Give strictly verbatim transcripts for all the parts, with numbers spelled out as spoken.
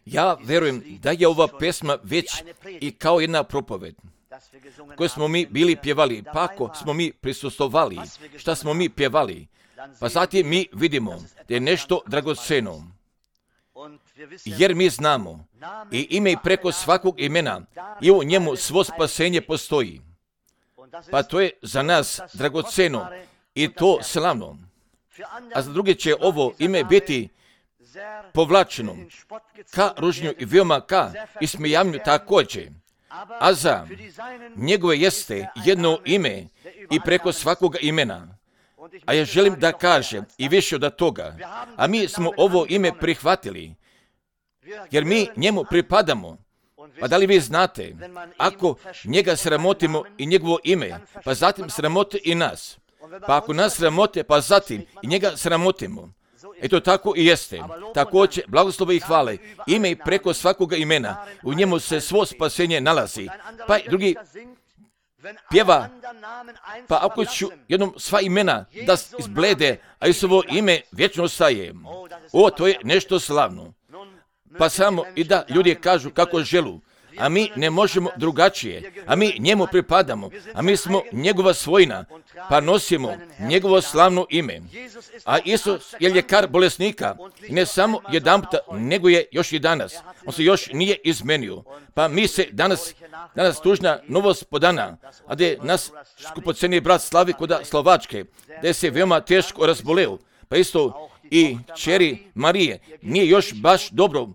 Ja verujem da je ova pesma već i kao jedna propoved koju smo mi bili pjevali, pa ako smo mi prisustvovali, šta smo mi pjevali, pa zatim mi vidimo da je nešto dragoceno, jer mi znamo i ime i preko svakog imena i u njemu svo spasenje postoji, pa to je za nas dragoceno i to slavno, a za druge će ovo ime biti povlačeno ka ružnju i veoma ka ismijavanju također, a za njegove jeste jedno ime i preko svakog imena. A ja želim da kažem i više od toga, a mi smo ovo ime prihvatili, jer mi njemu pripadamo. Pa da li vi znate, ako njega sramotimo i njegovo ime, pa zatim sramote i nas, pa ako nas sramote, pa zatim i njega sramotimo, eto tako i jeste. Također, blagoslova i hvale, ime i preko svakoga imena, u njemu se svo spasenje nalazi. Pa drugi pjeva, pa ako ću jednom sva imena da izblede, a Isusovo ime vječno ostaje. O, to je nešto slavno. Pa samo i da ljudi kažu kako želu, a mi ne možemo drugačije, a mi njemu pripadamo, a mi smo njegova svojina, pa nosimo njegovo slavno ime. A Isus je ljekar bolesnika, i ne samo jedanputa, nego je još i danas. On se još nije izmenio. Pa mi se danas, danas tužna novost podana, a da je nas skupoceni brat Slavi kod Slovačke, da je se veoma teško razboleo, pa isto i kćeri Marije nije još baš dobro,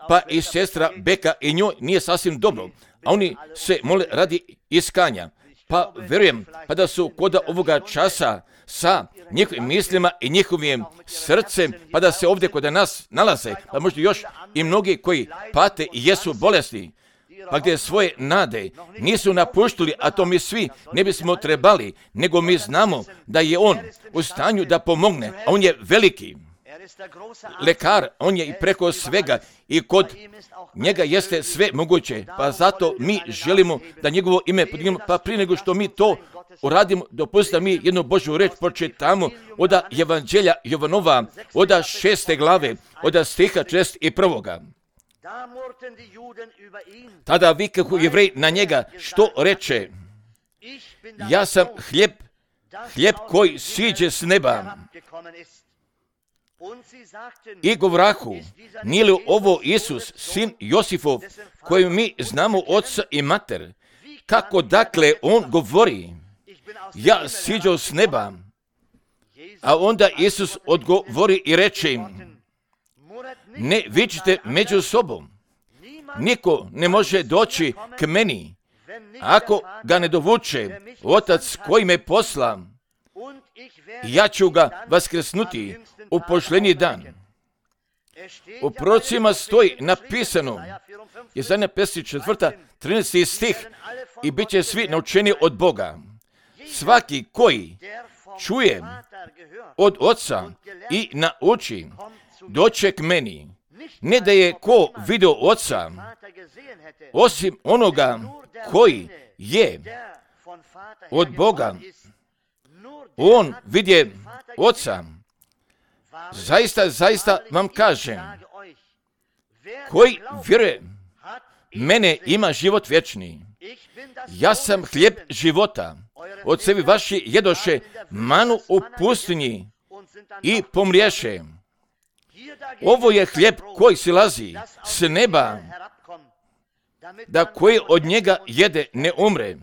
pa i sestra Beka i njoj nije sasvim dobro, a oni se mole radi iskanja. Pa verujem, pa da su kod ovoga časa sa njihovim mislima i njihovim srcem, pa da se ovdje kod nas nalaze, pa možda još i mnogi koji pate i jesu bolesni, pa gdje svoje nade nisu napuštili, a to mi svi ne bismo trebali, nego mi znamo da je on u stanju da pomogne, a on je veliki lekar, on je i preko svega i kod njega jeste sve moguće, pa zato mi želimo da njegovo ime podignemo, pa prije nego što mi to uradimo, dopustite da mi jednu Božju reč pročitamo od Evanđelja Jovanova, od šeste glave, od stiha četrdeset prvoga. Tada vikahu Jevreji na njega, što reče, ja sam hljeb, hljeb koji siđe s neba. I govrahu, nije li ovo Isus, sin Josifov, koju mi znamo oca i mater? Kako dakle on govori, ja siđo s neba? A onda Isus odgovori i reče im, ne vičite među sobom. Niko ne može doći k meni, ako ga ne dovuče Otac koji me posla, ja ću ga vaskrsnuti u posljednji dan. U prorocima stoji napisano, Jesaja pedeset četvrta, trinaesti stih, i bit će svi naučeni od Boga. Svaki koji čuje od Oca i nauči, doće k meni. Ne da je ko vidio Oca, osim onoga koji je od Boga, on vidje Oca. Zaista, zaista vam kažem, koji vjeruje mene ima život vječni. Ja sam hljeb života. Ocevi vaši jedoše manu u pustinji i pomriješe. Ovo je hljeb koji silazi s neba, da koji od njega jede ne umre.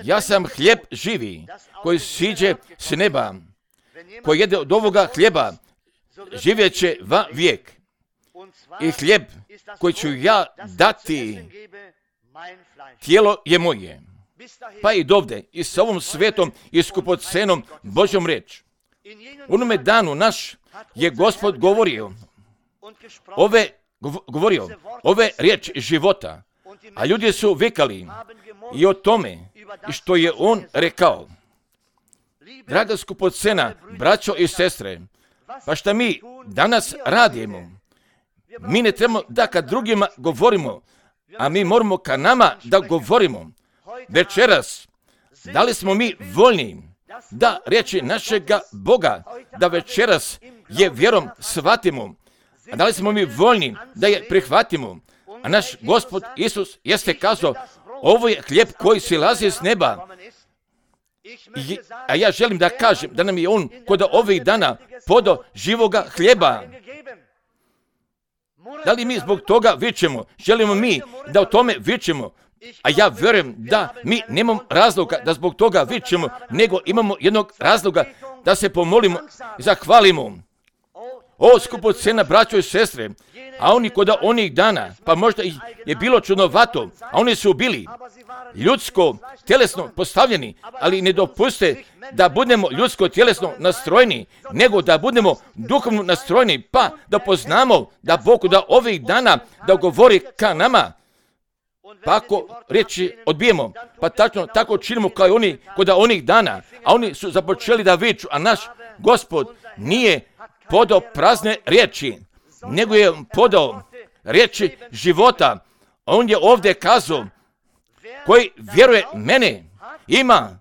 Ja sam hljeb živi koji siđe s neba. Ko jede od ovoga hljeba, živjet će va vijek. I hljeb koji ću ja dati, tijelo je moje. Pa i dovde, i s ovom svetom i skupocenom Božjom reč. U onome danu naš je Gospod govorio, ove, govorio, ove riječ života, a ljudi su vikali i o tome, i što je on rekao. Draga skupocena, braćo i sestre, pa šta mi danas radimo? Mi ne trebamo da kad drugima govorimo, a mi moramo ka nama da govorimo. Večeras, da li smo mi voljni da riječi našega Boga, da večeras je vjerom shvatimo, A da li smo mi voljni da je prihvatimo? A naš Gospod Isus jeste kazao, ovo je hljeb koji silazi s neba. I, a ja želim da kažem da nam je On kod ovih dana podao živoga hljeba. Da li mi zbog toga vičemo? Želimo mi da o tome vičemo? A ja vjerujem da mi nemamo razloga da zbog toga vičemo, nego imamo jednog razloga da se pomolimo i zahvalimo. O, skupocena braćo i sestre, a oni kod onih dana, pa možda je bilo čudnovato, a oni su bili ljudsko, tjelesno postavljeni, ali ne dopuste da budemo ljudsko, tjelesno nastrojeni, nego da budemo duhovno nastrojeni, pa da poznamo da Bog da ovih dana da govori ka nama. Pa ako riječi odbijemo, pa tačno tako činimo kao i oni kod onih dana, a oni su započeli da viču, a naš Gospod nije podao prazne riječi, nego je podao riječi života. On je ovdje kazao, koji vjeruje mene, ima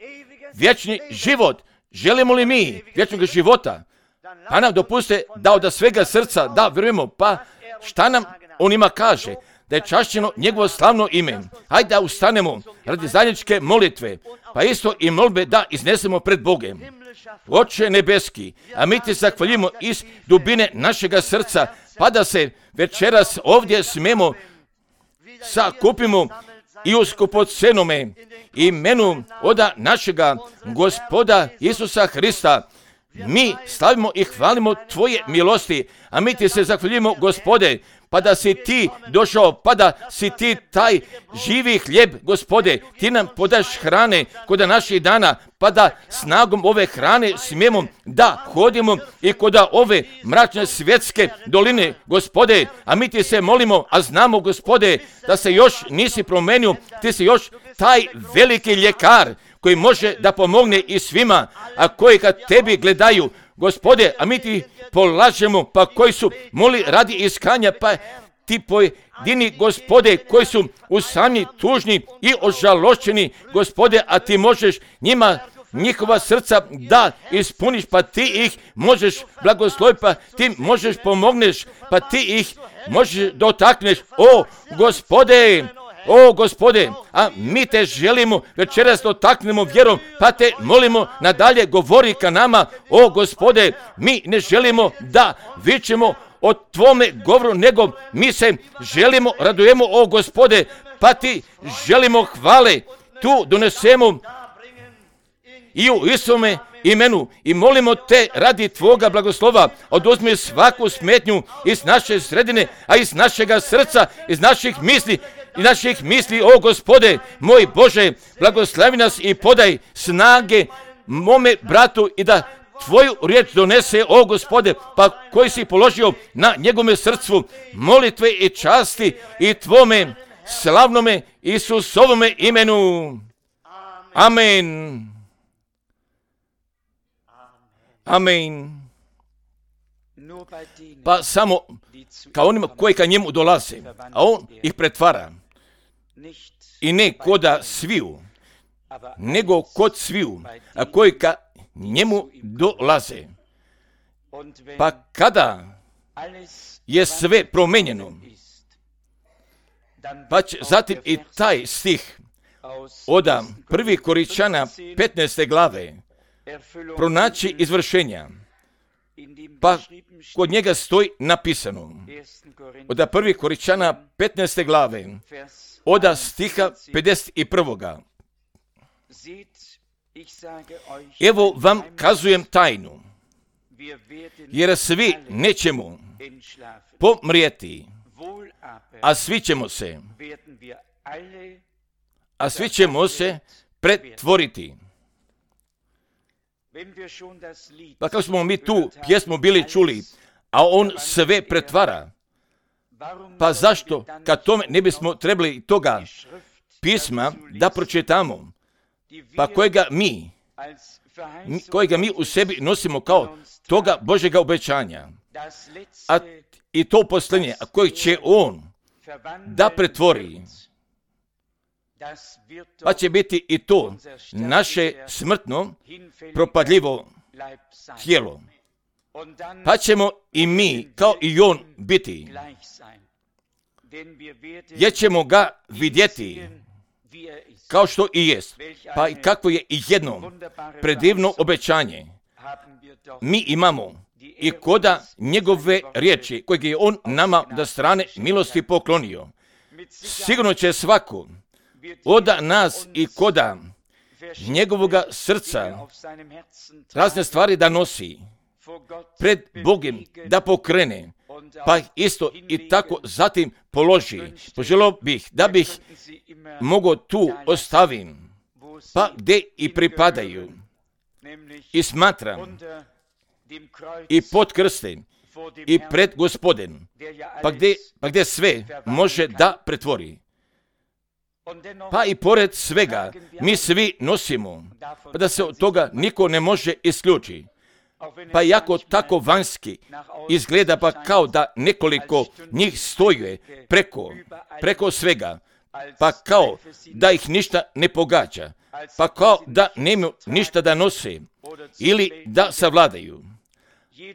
vječni život. Želimo li mi vječnog života? Pa nam dopuste da od svega srca da vjerujemo, pa šta nam on ima kaže? Da je čašćeno njegovo slavno ime. Hajde da ustanemo radi zajedničke molitve, pa isto i molbe da iznesemo pred Bogem. Oče nebeski, a mi ti zahvaljujemo iz dubine našega srca, pa da se večeras ovdje smemo sakupimo i u skupocenome imenu oda našega Gospoda Isusa Hrista. Mi slavimo i hvalimo Tvoje milosti, a mi ti se zahvaljujemo, Gospode, pa da si ti došao, pa da si ti taj živi hljeb, Gospode, ti nam podaš hrane kod naših dana, pa da snagom ove hrane smijemo da hodimo i kod ove mračne svjetske doline, Gospode, a mi ti se molimo, a znamo, Gospode, da se još nisi promenio, ti si još taj veliki ljekar koji može da pomogne i svima, a koji kad tebi gledaju, Gospode, a mi ti polažemo, pa koji su moli radi iskanja, pa ti pojedini, Gospode, koji su usamni, tužni i ožalošćeni, Gospode, a ti možeš njima njihova srca da ispuniš, pa ti ih možeš blagosloviti, pa ti možeš pomogneš, pa ti ih možeš dotakneš. O, Gospode, o, Gospode, a mi te želimo večeras dotaknemo vjerom, pa te molimo nadalje govori ka nama. O, Gospode, mi ne želimo da vičemo o Tvome govoru, nego mi se želimo, radujemo, o, Gospode, pa ti želimo hvale tu donesemo i u Isome imenu i molimo te radi Tvoga blagoslova, oduzmi svaku smetnju iz naše sredine, a iz našega srca, iz naših misli, i naših misli, o Gospode, moj Bože, blagoslavi nas i podaj snage mome bratu i da Tvoju riječ donese, o Gospode, pa koji si položio na njegome srcu molitve i časti i Tvome slavnome Isusovome imenu. Amen. Amen. Pa samo kao onima koji ka njemu dolaze, a on ih pretvara. I ne koda sviju, nego kod sviju, a koji ka njemu dolaze. Pa kada je sve promenjeno, pa će zatim i taj stih od prvi Koričana petnaeste glave pronaći izvršenja. Pa kod njega stoji napisano od prvi Koričana petnaeste glave od stiha pedeset prvog. Evo vam kazujem tajnu, jer svi nećemo pomrijeti, a svi ćemo se, a svi ćemo se pretvoriti. Pa kako smo mi tu pjesmu bili čuli, a on sve pretvara, pa zašto kad tome ne bismo trebali toga pisma da pročitamo, pa kojega mi, kojega mi u sebi nosimo kao toga Božjega obećanja, a i to posljednje, a koji će on da pretvori, pa će biti i to naše smrtno, propadljivo tijelo. pa ćemo i mi, kao i on, biti. Jer ćemo ga vidjeti kao što i jest. Pa i kako je i jedno predivno obećanje mi imamo i koda njegove riječi kojeg je on nama da strane milosti poklonio. Sigurno će svako oda nas i koda njegovoga srca razne stvari da nosi pred Bogom da pokrene, pa isto i tako zatim položi. Poželio bih da bih mogao tu ostavim, pa gdje i pripadaju. I smatram i pod krstem i pred Gospodem, pa gdje, pa gdje sve može da pretvori. Pa i pored svega mi svi nosimo, pa da se od toga niko ne može isključiti. Pa jako tako vanjski izgleda, pa kao da nekoliko njih stoje preko, preko svega, pa kao da ih ništa ne pogađa, pa kao da nemaju ništa da nose ili da savladaju.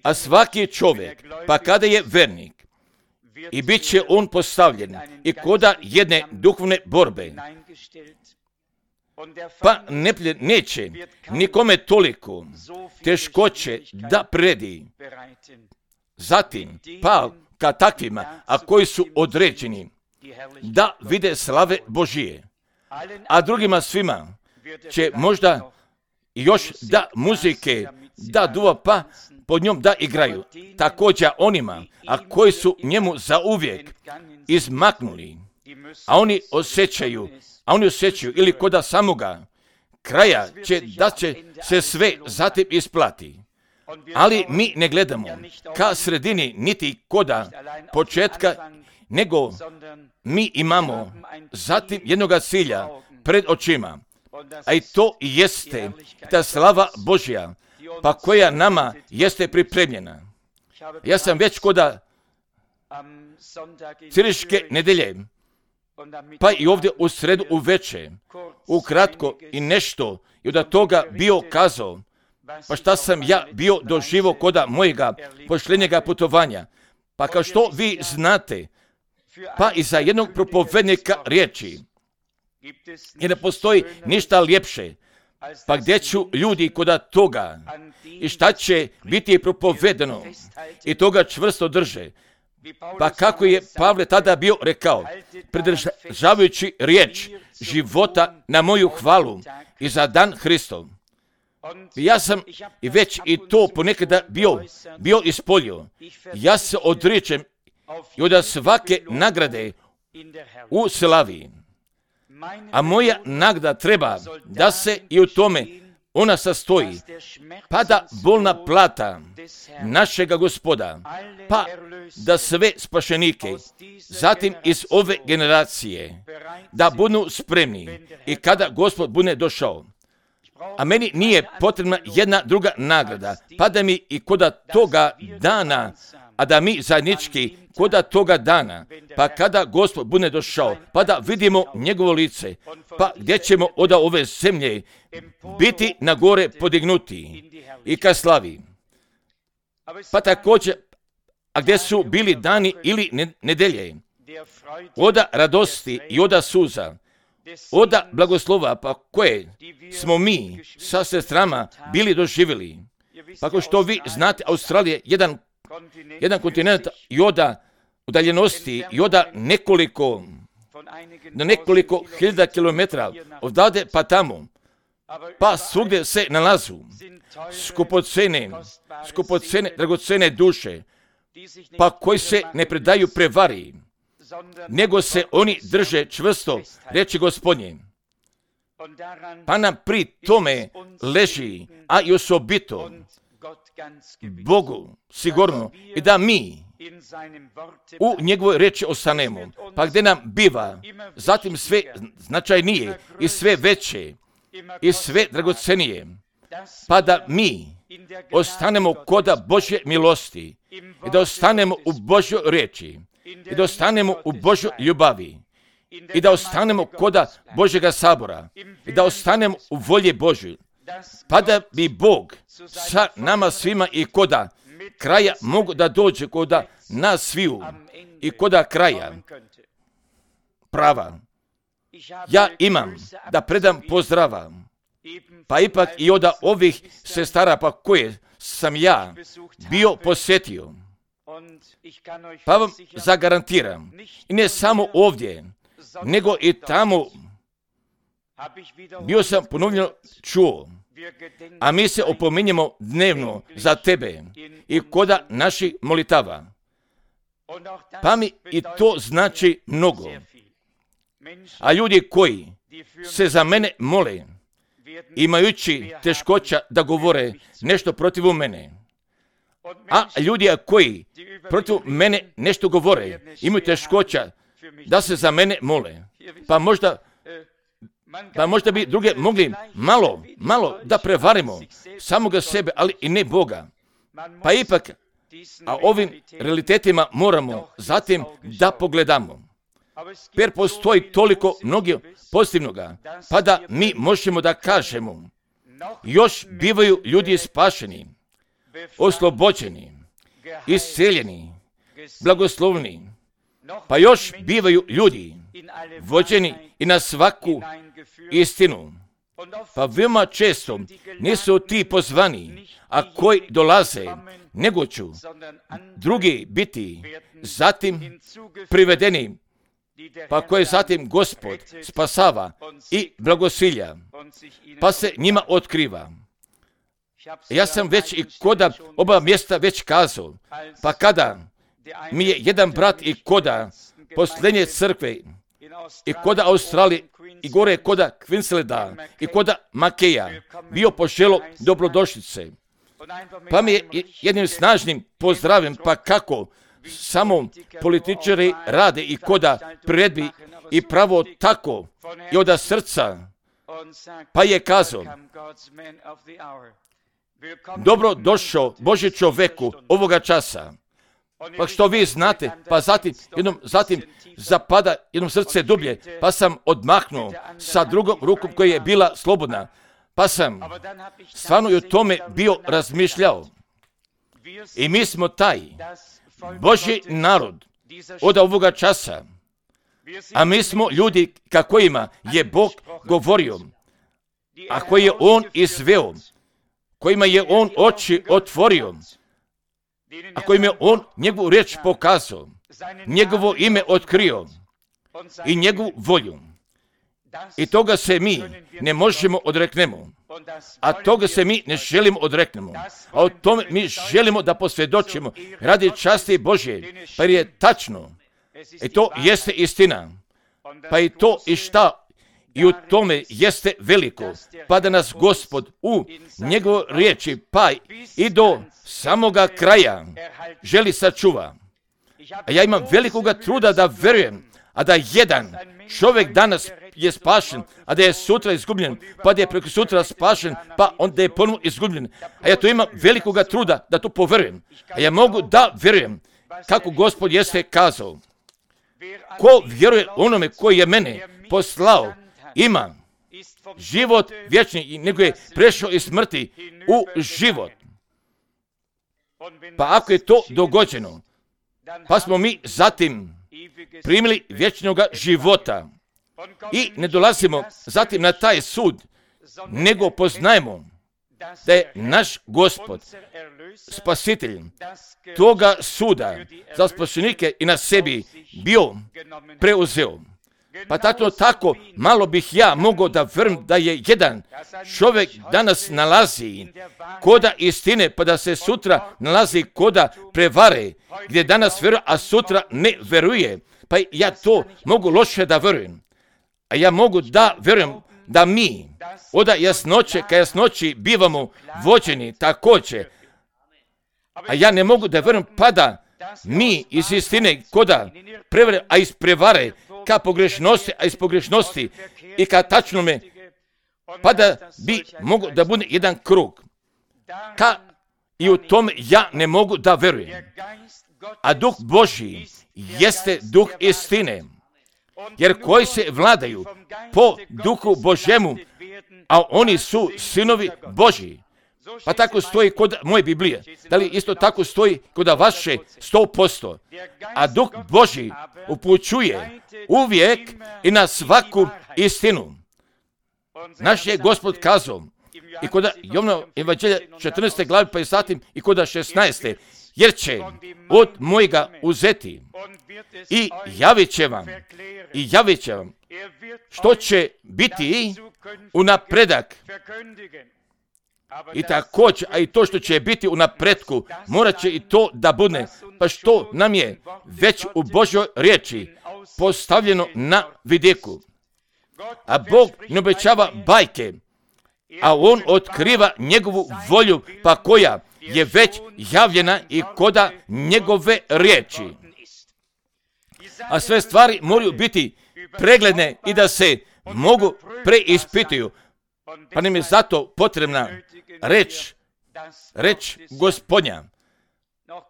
A svaki čovjek, pa kada je vernik, i bit će on postavljen i koda jedne duhovne borbe, pa ne, neće nikome toliko teškoće da predi. Zatim, pa ka takvima, a koji su određeni da vide slave Božije, a drugima svima će možda još da muzike, da duva, pa pod njom da igraju. Također onima, a koji su njemu zauvijek izmaknuli, a oni osjećaju, a oni osjećaju ili koda samoga kraja će da će se sve zatim isplati. Ali mi ne gledamo ka sredini niti koda početka, nego mi imamo zatim jednoga cilja pred očima, a i to jeste ta slava Božja, pa koja nama jeste pripremljena. Ja sam već koda Ciriške nedelje, pa i ovdje u sredu uveče, ukratko i nešto i od toga bio kazao, pa šta sam ja bio doživo koda mojega pošljenjega putovanja. Pa kao što vi znate, pa i za jednog propovednika riječi, jer ne postoji ništa ljepše, pa gdje ću ljudi koda toga i šta će biti propovedeno i toga čvrsto drže. Pa kako je Pavle tada bio rekao, pridržavajući riječ života na moju hvalu i za dan Hristov. Ja sam i već i to ponekada bio, bio ispolio. Ja se odričem i od svake nagrade u slavi. A moja nagrada treba da se i u tome ona sastoji, pa da bolna plata našega Gospoda, pa da sve spašenike, zatim iz ove generacije, da budu spremni i kada Gospod bude došao. A meni nije potrebna jedna druga nagrada, pa da mi i koda toga dana, a da mi zajednički koda toga dana, pa kada Gospod bude došao, pa da vidimo njegovo lice, pa gdje ćemo od ove zemlje biti na gore podignuti i ka slavi. Pa također, a gdje su bili dani ili nedelje, oda radosti i oda suza, oda blagoslova, pa koje smo mi sa sestrama bili doživjeli. Pa kao što vi znate, Australija je jedan, jedan kontinent i oda udaljenosti i oda nekoliko, na nekoliko hiljada kilometra odavde pa tamo, pa svugdje se nalazu skupocene, skupocene, dragocene duše, pa koji se ne predaju prevari, nego se oni drže čvrsto reči Gospodnje. Pa nam pri tome leži, a i osobito Bogu sigurno, i da mi u njegovoj reči ostanemo, pa gdje nam biva zatim sve značajnije i sve veće i sve dragocenije, pa da mi ostanemo koda Božje milosti i da ostanemo u Božjoj reči i da ostanemo u Božjoj ljubavi i da ostanemo koda Božjega sabora i da ostanemo u volji Božjoj, pa da bi Bog sa nama svima i koda kraja mogu da dođe kod nas sviju i kod kraja prava. Ja imam da predam pozdrava, pa ipak i od ovih sestara pa koje sam ja bio posjetio. Pa vam zagarantiram, i ne samo ovdje, nego i tamo bio sam ponovno čuo, a mi se opominjemo dnevno za tebe i koda naših molitava. Pa mi i to znači mnogo. A ljudi koji se za mene mole, imajući teškoća da govore nešto protiv mene, a ljudi koji protiv mene nešto govore, imaju teškoća da se za mene mole, pa možda Pa možda bi druge mogli malo, malo da prevarimo samoga sebe, ali i ne Boga. Pa ipak, a ovim realitetima moramo zatim da pogledamo. Jer postoji toliko mnogo pozitivnoga, pa da mi možemo da kažemo, još bivaju ljudi spašeni, oslobođeni, isceljeni, blagoslovni, pa još bivaju ljudi vođeni i na svaku istinu. Pa veoma često nisu ti pozvani, a koji dolaze, nego ću drugi biti zatim privedeni, pa koje zatim Gospod spasava i blagosilja, pa se njima otkriva. Ja sam već i koda oba mjesta već kazao, pa kada mi je jedan brat i koda posljednje crkve i koda Australije i gore koda Queenslanda i koda Makeja bio poželo dobrodošlice. Pa mi je jednim snažnim pozdravim, pa kako samo političari rade i koda priredbi i pravo tako i od srca, pa je kazao, dobro došao Božji čoveku ovoga časa. Pa što vi znate, pa zatim, jednom, zatim zapada jednom srce dublje, pa sam odmahnuo sa drugom rukom koja je bila slobodna, pa sam stvarno i o tome bio razmišljao. I mi smo taj Božji narod od ovoga časa, a mi smo ljudi kakvima je Bog govorio, a koji je On izveo, kojima je On oči otvorio, a kojim je On njegovu riječ pokazao, njegovo ime otkrio i njegovu volju. I toga se mi ne možemo odreknemo, a toga se mi ne želimo odreknemo, a o tome mi želimo da posvjedočimo radi časti Božje, pa je tačno, i to jeste istina, pa i to i šta i u tome jeste veliko, pa da nas Gospod u njegovoj riječi pa i do samoga kraja želi sačuva. A ja imam velikoga truda da verujem, a da jedan čovjek danas je spašen, a da je sutra izgubljen, pa da je preko sutra spašen, pa onda je ponovno izgubljen. A ja to imam velikoga truda da to poverujem. A ja mogu da verujem kako Gospod jeste kazao. Ko vjeruje onome koji je mene poslao, ima život vječni i nego je prešao iz smrti u život. Pa ako je to dogođeno, pa smo mi zatim primili vječnog života i ne dolazimo zatim na taj sud, nego poznajemo da je naš Gospod, spasitelj toga suda za spašenike i na sebi bio preuzeo. Pa tako, tako malo bih ja mogao da vrm da je jedan čovjek danas nalazi koda istine, pa da se sutra nalazi koda prevare, gdje danas veruje, a sutra ne veruje. Pa ja to mogu loše da verujem. A ja mogu da verujem da mi od jasnoće ka jasnoći bivamo vođeni također. A ja ne mogu da verujem pa da mi iz istine koda prevare, a iz prevare, ka pogrešnosti, a iz pogrešnosti i ka tačnome, pa da bi mogo da bude jedan krug. Ka i u tome ja ne mogu da verujem. A Duh Božji jeste Duh istine, jer koji se vladaju po Duhu Božjemu, a oni su sinovi Božji, Pa tako stoji kod moje Biblije. Da li isto tako stoji kod vaše sto posto? A Duh Božji upućuje uvijek i na svaku istinu. Naš je Gospod kazao i kod Jovana Evanđelja četrnaeste glave pa i zatim i kod šesnaeste jer će od mojega uzeti i javit će vam i javit će vam što će biti u napredak. I također, a i to što će biti u napretku, morat će i to da bude, pa što nam je već u Božjoj riječi postavljeno na vidiku. A Bog ne obećava bajke, a On otkriva njegovu volju, pa koja je već javljena i koda njegove riječi. A sve stvari moraju biti pregledne i da se mogu preispituju. Pa nam je zato potrebna reč, reč Gospodnja.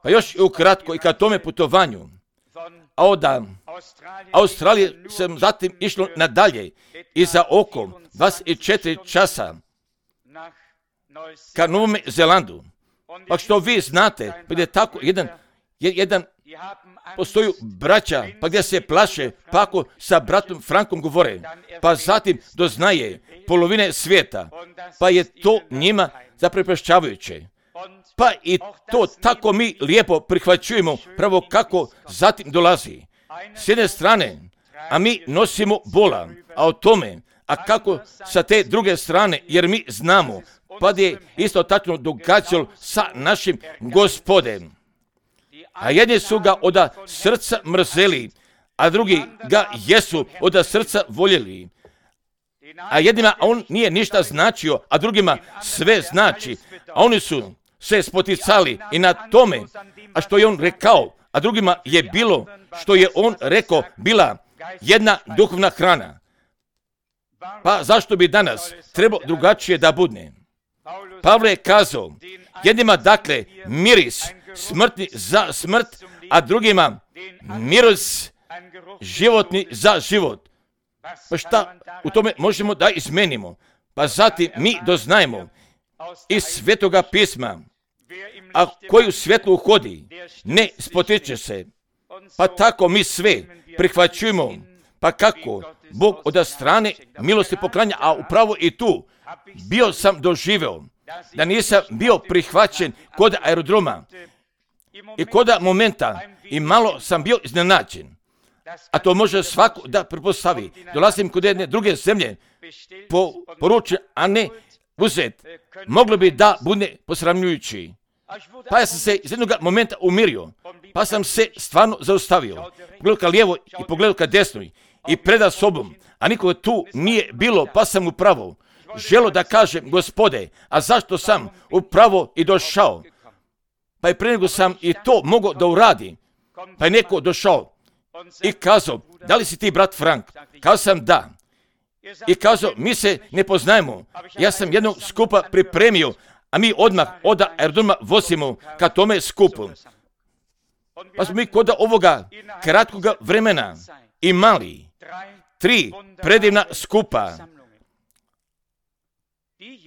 Pa još i ukratko i ka tome putovanju. A od Australije sam zatim išlo nadalje i za oko dvadeset četiri časa ka Novom Zelandu. Pa što vi znate, pa je tako jedan, jedan postoju braća, pa gdje se plaše, pa ako sa bratom Frankom govore, pa zatim doznaje polovine svijeta, pa je to njima zaprepašćavajuće. Pa i to tako mi lijepo prihvaćujemo, pravo kako zatim dolazi. S jedne strane, a mi nosimo bola, a o tome, a kako sa te druge strane, jer mi znamo, pa je isto tačno događalo sa našim Gospodem. A jedni su ga od srca mrzeli, a drugi ga jesu od srca voljeli. A jednima on nije ništa značio, a drugima sve znači. A oni su se spoticali i na tome, a što je on rekao, a drugima je bilo što je on rekao, bila jedna duhovna hrana. Pa zašto bi danas trebalo drugačije da bude? Pavle je kazao, jednima dakle miris smrtni za smrt, a drugima miris životni za život. Pa šta u tome možemo da izmenimo? Pa zatim mi doznajemo iz Svetoga pisma, a koji u svjetlu hodi, ne spotiče se. Pa tako mi sve prihvaćujemo, pa kako Bog od strane milosti poklanja, a upravo i tu bio sam doživeo da nisam bio prihvaćen kod aerodroma i kod momenta i malo sam bio iznenađen. A to može svako da prepostavi. Dolazim kod jedne druge zemlje po, poručen, a ne uzet. Moglo bi da bude posramljujući. Pa ja sam se iz jednog momenta umirio, pa sam se stvarno zaustavio. Pogledao ka lijevo i pogledao ka desnoj i preda sobom, a nikoga tu nije bilo, pa sam upravo želo da kažem, Gospode, a zašto sam upravo i došao? Pa je pre nego sam i to mogao da uradi, pa je neko došao i kazao, da li si ti brat Frank? Kazao sam da. I kazao, mi se ne poznajemo, ja sam jednog skupa pripremio, a mi odmah od aerodroma vozimo ka tome skupu. Pa smo mi kod ovoga kratkoga vremena imali tri predivna skupa.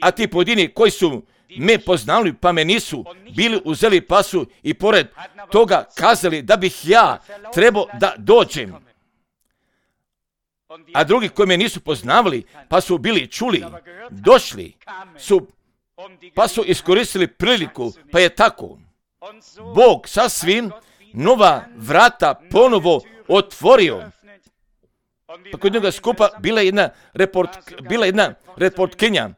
A ti pojedini koji su me poznali pa me nisu bili uzeli pa su i pored toga kazali da bih ja trebao da dođem. A drugi koji me nisu poznavali pa su bili čuli, došli su pa su iskoristili priliku, pa je tako. Bog sasvim nova vrata ponovo otvorio. Pa kod njega skupa bila jedna, report, bila jedna reportkinja,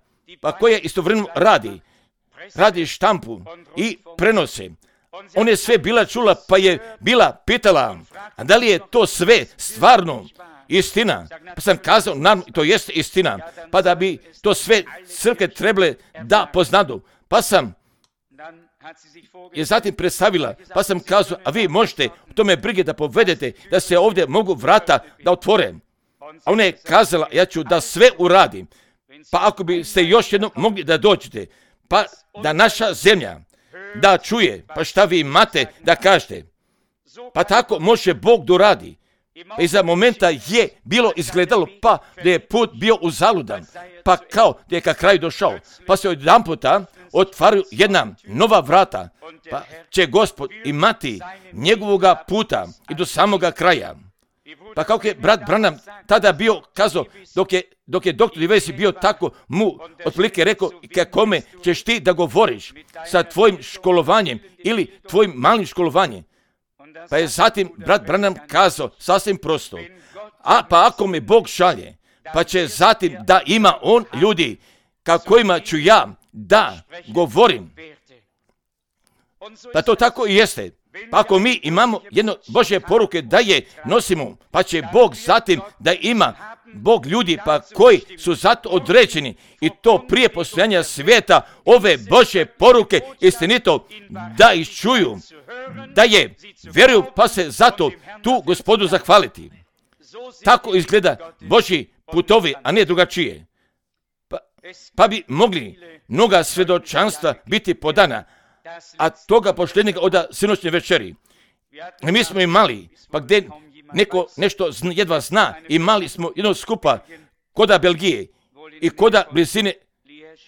pa koja istovremeno radi, radi štampu i prenose. On je sve bila čula, pa je bila pitala, a da li je to sve stvarno istina? Pa sam kazao, naravno, to jeste istina, pa da bi to sve crkve trebale da poznadu. Pa sam je zatim predstavila, pa sam kazao, a vi možete u tome brige da povedete, da se ovdje mogu vrata da otvore. A ona je kazala, ja ću da sve uradim, pa ako bi ste još jednom mogli da dođete, pa da naša zemlja da čuje, pa šta vi imate da kažete. Pa tako može Bog da uradi. Pa iza momenta je bilo izgledalo pa da je put bio uzaludan, pa kao da je ka kraju došao, pa se jedan puta otvaraju jedna nova vrata, pa će Gospod imati njegovoga puta i do samoga kraja. Pa kako je brat Branham tada bio kazao, dok je, dok je doktor Livesi bio tako, mu otprilike rekao, kakome ćeš ti da govoriš sa tvojim školovanjem ili tvojim malim školovanjem. Pa je zatim brat Branham kazao sasvim prosto, a pa ako me Bog šalje, pa će zatim da ima on ljudi kakvima ću ja da govorim. Pa to tako i jeste. Pa ako mi imamo jedno Božje poruke da je nosimo, pa će Bog zatim da ima Bog ljudi pa koji su zato određeni i to prije postojanja svijeta ove Božje poruke istinito da iščuju, da je vjeruju pa se zato tu Gospodu zahvaliti. Tako izgleda Božji putovi, a ne drugačije. Pa, pa bi mogli mnoga svjedočanstva biti podana, a toga poštenjega od sinoćne večeri. I mi smo imali, pa gdje neko nešto zna, jedva zna, imali smo jedno skupa koda Belgije i koda blizine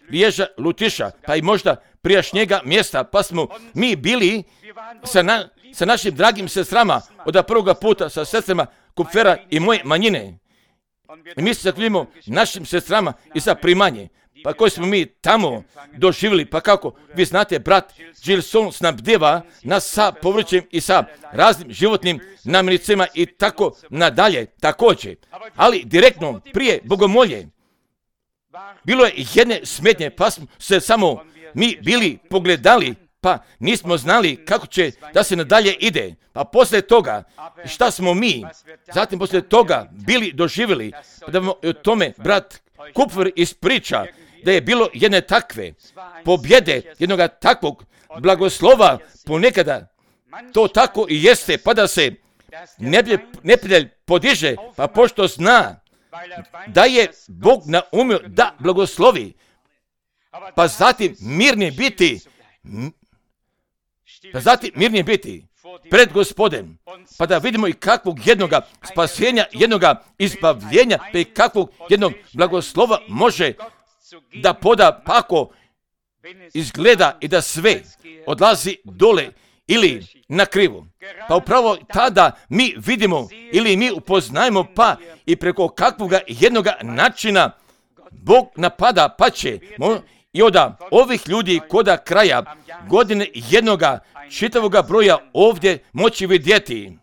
Liježa, Lutiša, pa i možda prijašnjega mjesta, pa smo mi bili sa, na, sa našim dragim sestrama od prvoga puta, sa sestrama Kupfera i moje manjine. I mi se zahvaljujemo našim sestrama i za primanje. Pa koji smo mi tamo doživjeli, pa kako, vi znate, brat Gilson snabdeva nas sa povrćem i sa raznim životnim namirnicama i tako nadalje, također. Ali direktno prije bogomolje bilo je jedne smetnje, pa smo se samo mi bili pogledali, pa nismo znali kako će da se nadalje ide. Pa poslije toga, šta smo mi, zatim poslije toga bili doživjeli, pa da vam o tome brat Kupfer ispriča, da je bilo jedne takve pobjede, jednoga takvog blagoslova, ponekada to tako i jeste, pa da se neprijatelj podiže, pa pošto zna da je Bog naumio da blagoslovi, pa zatim mirni biti, pa zatim mirni biti pred Gospodem, pa da vidimo i kakvog jednoga spasenja, jednoga izbavljenja, pa i kakvog jednog blagoslova može da poda, pa ako izgleda i da sve odlazi dole ili na krivo. Pa upravo tada mi vidimo ili mi upoznajemo pa i preko kakvoga jednoga načina Bog napada, pa će i od ovih ljudi koda kraja godine jednoga čitavoga broja ovdje moći vidjeti.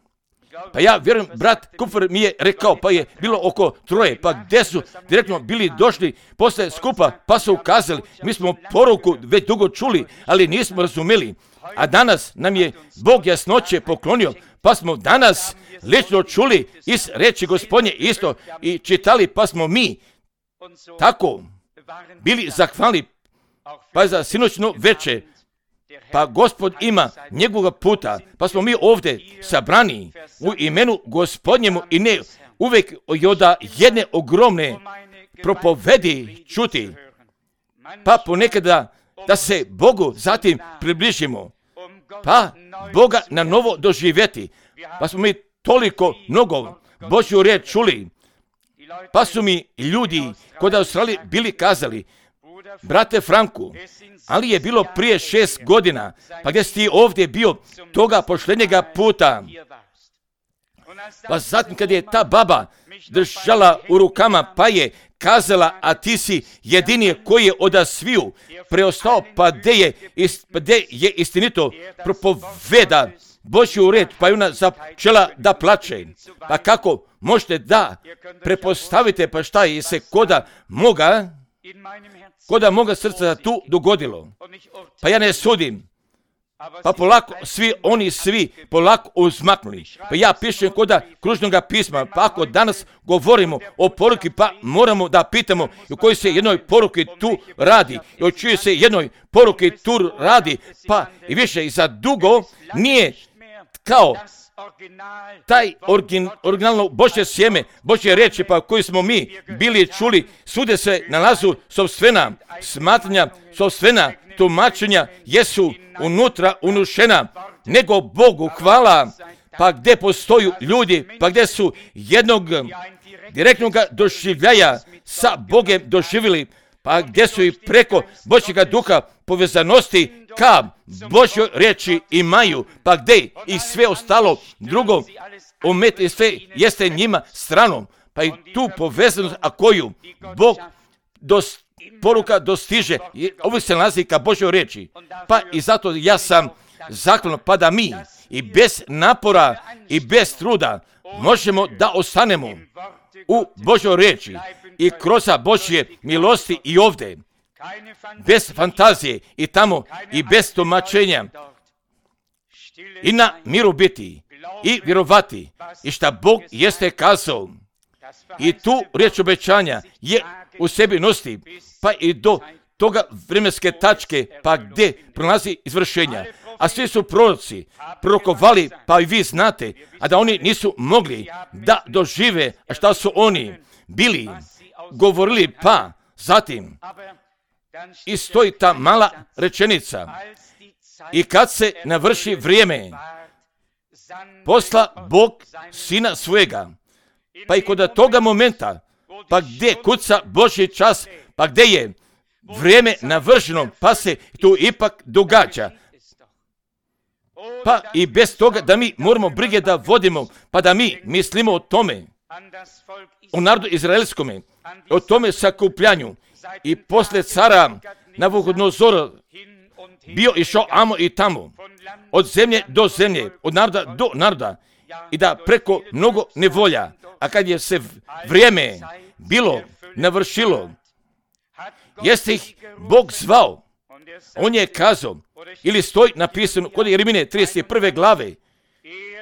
Pa ja vjerujem, brat Kupfer mi je rekao, pa je bilo oko troje, pa gdje su direktno bili došli posle skupa, pa su ukazali, mi smo poruku već dugo čuli, ali nismo razumeli. A danas nam je Bog jasnoće poklonio, pa smo danas lično čuli iz reči Gospodnje isto i čitali, pa smo mi tako bili zahvalni, pa za sinoćno veče. Pa Gospod ima njegovog puta, pa smo mi ovdje sabrani u imenu Gospodnjemu i ne uvijek od jedne ogromne propovedi čuti, pa ponekada da se Bogu zatim približimo, pa Boga na novo doživjeti, pa smo mi toliko mnogo Božju riječ čuli, pa su mi ljudi kod Australije bili kazali, brate Franku, ali je bilo prije šest godina, pa gdje si ti ovdje bio toga poštenjega puta. Pa zatim kad je ta baba držala u rukama, pa je kazala, a ti si jedini koji je od sviju preostao, pa gdje je, gdje je istinito propoveda Božju riječ, pa je ona začela da plače. Pa kako možete da prepostavite, pa šta je se koda moga, koda moga srca tu dogodilo. Pa ja ne sudim. Pa polako svi oni svi polako uzmaknuli. Pa ja pišem koda kružnoga pisma, pa ako danas govorimo o poruki, pa moramo da pitamo u kojoj se jednoj poruki tu radi, i o čijoj se jednoj poruki tu radi, pa i više i za dugo nije kao taj origin, originalno Božje sjeme, Božje reči, pa koji smo mi bili čuli, svude se nalazu sopstvena smatranja, sopstvena tumačenja jesu unutra unušena, nego Bogu hvala, pa gdje postoju ljudi, pa gdje su jednog direktnog doživljaja sa Bogem doživjeli, pa gdje su i preko Božjega duha povezanosti ka Božjoj riječi imaju, pa gdje i sve ostalo drugo omet i sve jeste njima stranom, pa i tu povezanost, a koju Bog dos, poruka dostiže, ovo se nalazi ka Božjoj riječi, pa i zato ja sam zahvalan, pa da mi i bez napora i bez truda možemo da ostanemo u Božjoj riječi i kroz Božje milosti i ovdje, bez fantazije i tamo i bez tumačenja i na miru biti i vjerovati i šta Bog jeste kazao i tu riječ obećanja je u sebi nosti, pa i do toga vremenske tačke, pa gdje prolazi izvršenja. A svi su proroci prorokovali, pa i vi znate, a da oni nisu mogli da dožive, a šta su oni bili govorili, pa zatim i stoji ta mala rečenica i kad se navrši vrijeme, posla Bog sina svojega, pa i kod toga momenta, pa gdje kuca Božji čas, pa gdje je vrijeme navršeno, pa se tu ipak događa. Pa i bez toga da mi moramo brige da vodimo, pa da mi mislimo o tome, o narodu izraelskome, o tome sakupljanju. I poslije cara Navuhodonozora bio išao amo i tamo, od zemlje do zemlje, od naroda do naroda, i da preko mnogo nevolja, a kad je se vrijeme bilo navršilo, jeste ih Bog zvao, on je kazao, ili stoji napisano kod Jeremije trideset prve glave,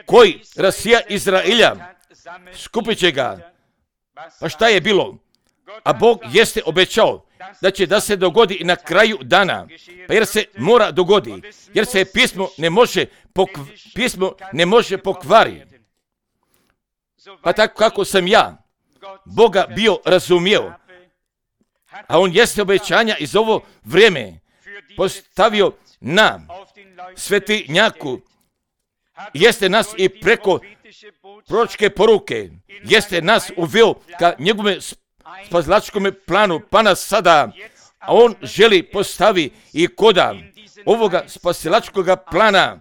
koji rasija Izraelja, skupit će ga. Pa šta je bilo? A Bog jeste obećao da će da se dogodi i na kraju dana, pa jer se mora dogodi, jer se pismo ne može, pokv... pismo ne može pokvariti. Pa tako kako sam ja Boga bio razumio, a on jeste obećanja iz ovo vrijeme postavio na svetinjaku, jeste nas i preko proročke poruke, jeste nas uveo ka njegove spasilačkom planu, pa nas sada, a on želi postavi i koda ovoga spasilačkog plana,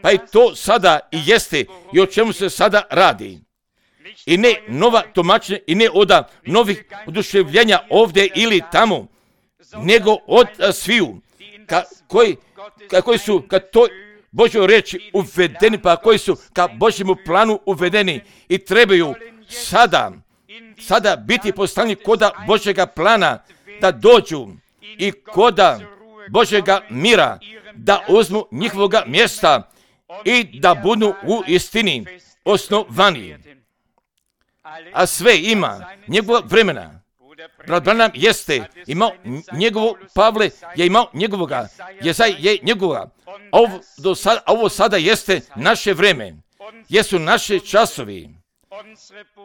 pa i to sada i jeste i o čemu se sada radi. I ne nova tumačenja i ne od novih oduševljenja ovdje ili tamo, nego od sviju ka, koji, ka, koji su ka toj Božjoj riječi uvedeni, pa koji su ka Božjemu planu uvedeni i trebaju sada, sada biti postavljeni koda Božjega plana, da dođu i koda Božjega mira, da uzmu njihovoga mjesta i da budu u istini osnovani. A sve ima njegova vremena. Brat Branham jeste imao njegovo, Pavle je imao njegovoga, Jezaj je njegovoga. Ovo, do sada, ovo sada jeste naše vreme, jesu naše časovi,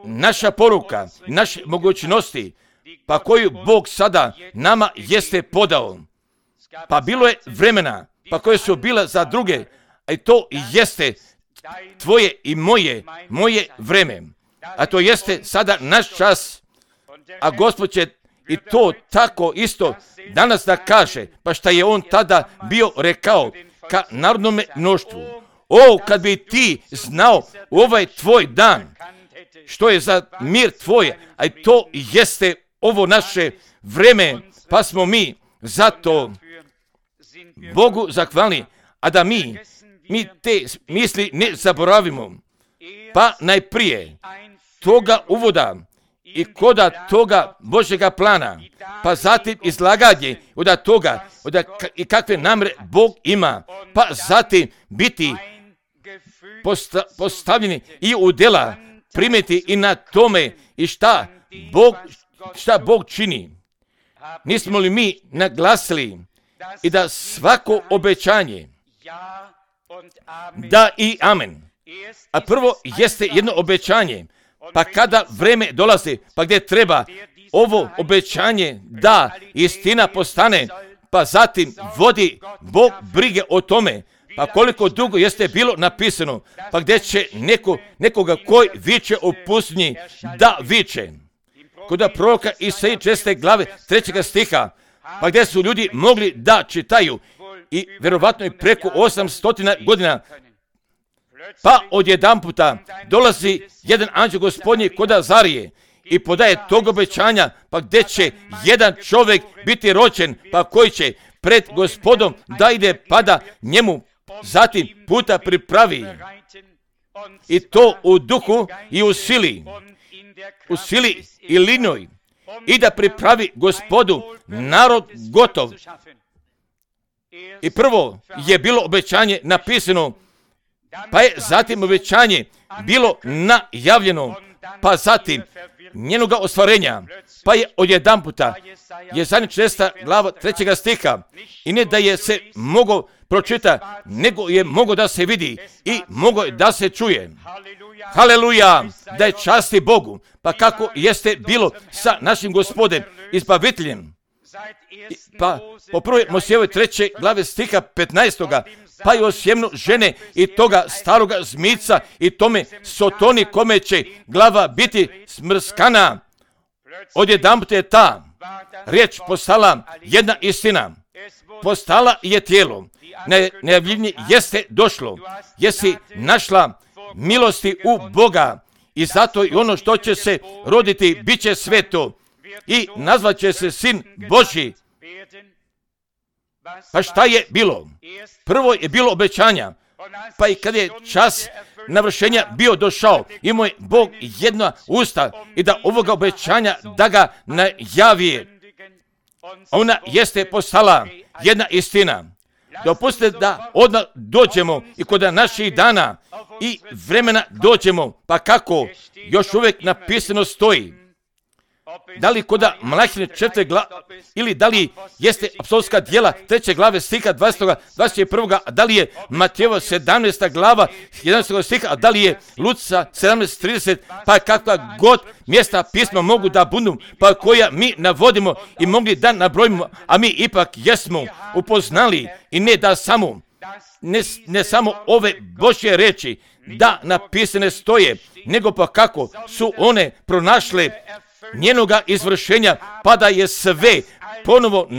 naša poruka, naše mogućnosti, pa koju Bog sada nama jeste podao. Pa bilo je vremena, pa koje su bila za druge, a i to jeste tvoje i moje, moje vreme. A to jeste sada naš čas, a Gospod će i to tako isto danas da kaže, pa šta je on tada bio rekao ka narodnome mnoštvu. O, kad bi ti znao ovaj tvoj dan, što je za mir tvoje, a i to jeste ovo naše vreme, pa smo mi zato Bogu zahvalni, a da mi, mi te misli ne zaboravimo, pa najprije toga uvoda i koda toga Božjega plana, pa zatim izlaganje od toga od i kakve namere Bog ima, pa zatim biti posta, postavljeni i u djela primiti i na tome i šta Bog, šta Bog čini. Nismo li mi naglasili i da svako obećanje da i amen, a prvo jeste jedno obećanje, pa kada vreme dolazi, pa gdje treba ovo obećanje da istina postane, pa zatim vodi Bog brige o tome, Pa koliko dugo jeste bilo napisano, pa gdje će neko, nekoga koji viče u pustinji da viče. Kod proroka Isaije šeste glave trećega stiha, pa gdje su ljudi mogli da čitaju i vjerovatno i preko osamsto godina, pa odjedanputa dolazi jedan anđeo Gospodnji kod Azarije i podaje tog obećanja, pa gdje će jedan čovjek biti rođen, pa koji će pred Gospodom da ide, pa da njemu zatim puta pripravi. I to u duhu i u sili, u sili i linoj, i da pripravi Gospodu narod gotov. I prvo je bilo obećanje napisano, pa je zatim obećanje bilo najavljeno, pa zatim njenoga ostvarenja, pa je odjedanputa je zadnja šesta glava trećega stiha, i ne da je se mogo pročita, nego je mogo da se vidi i mogo je da se čuje. Haleluja, da je časti Bogu. Pa kako jeste bilo sa našim Gospodem, izbaviteljem. Pa po prvoj Mojsijevoj treće glave stiha petnaestoga, pa je o sjemnu žene i toga staroga zmica i tome Sotoni kome će glava biti smrskana. Odjedanput je ta riječ postala jedna istina. Postala je tijelo. Najavljenje jeste došlo. Jesi našla milosti u Boga i zato i ono što će se roditi bit će sveto i nazvat će se Sin Božji. Pa šta je bilo? Prvo je bilo obećanja, pa i kad je čas navršenja bio došao, imao je Bog jedna usta i da ovoga obećanja da ga najavi. Ona jeste postala jedna istina. Dopustite da odmah dođemo i kod naših dana i vremena dođemo, pa kako još uvijek napisano stoji. Da li kod Malahije četvrte glave, ili da li jeste apostolska djela treće glave stiha dvadeset, dvadeset jedan, a da li je Matejeva sedamnaesta glava jedanaestog stiha, a da li je Luca sedamnaest trideset, pa kakva god mjesta pisma mogu da budu, pa koja mi navodimo i mogli da nabrojimo, a mi ipak jesmo upoznali i ne da samo, ne, ne samo ove Božje reči da napisane stoje, nego pa kako su one pronašle njenoga izvršenja, pa da je sve ponovo,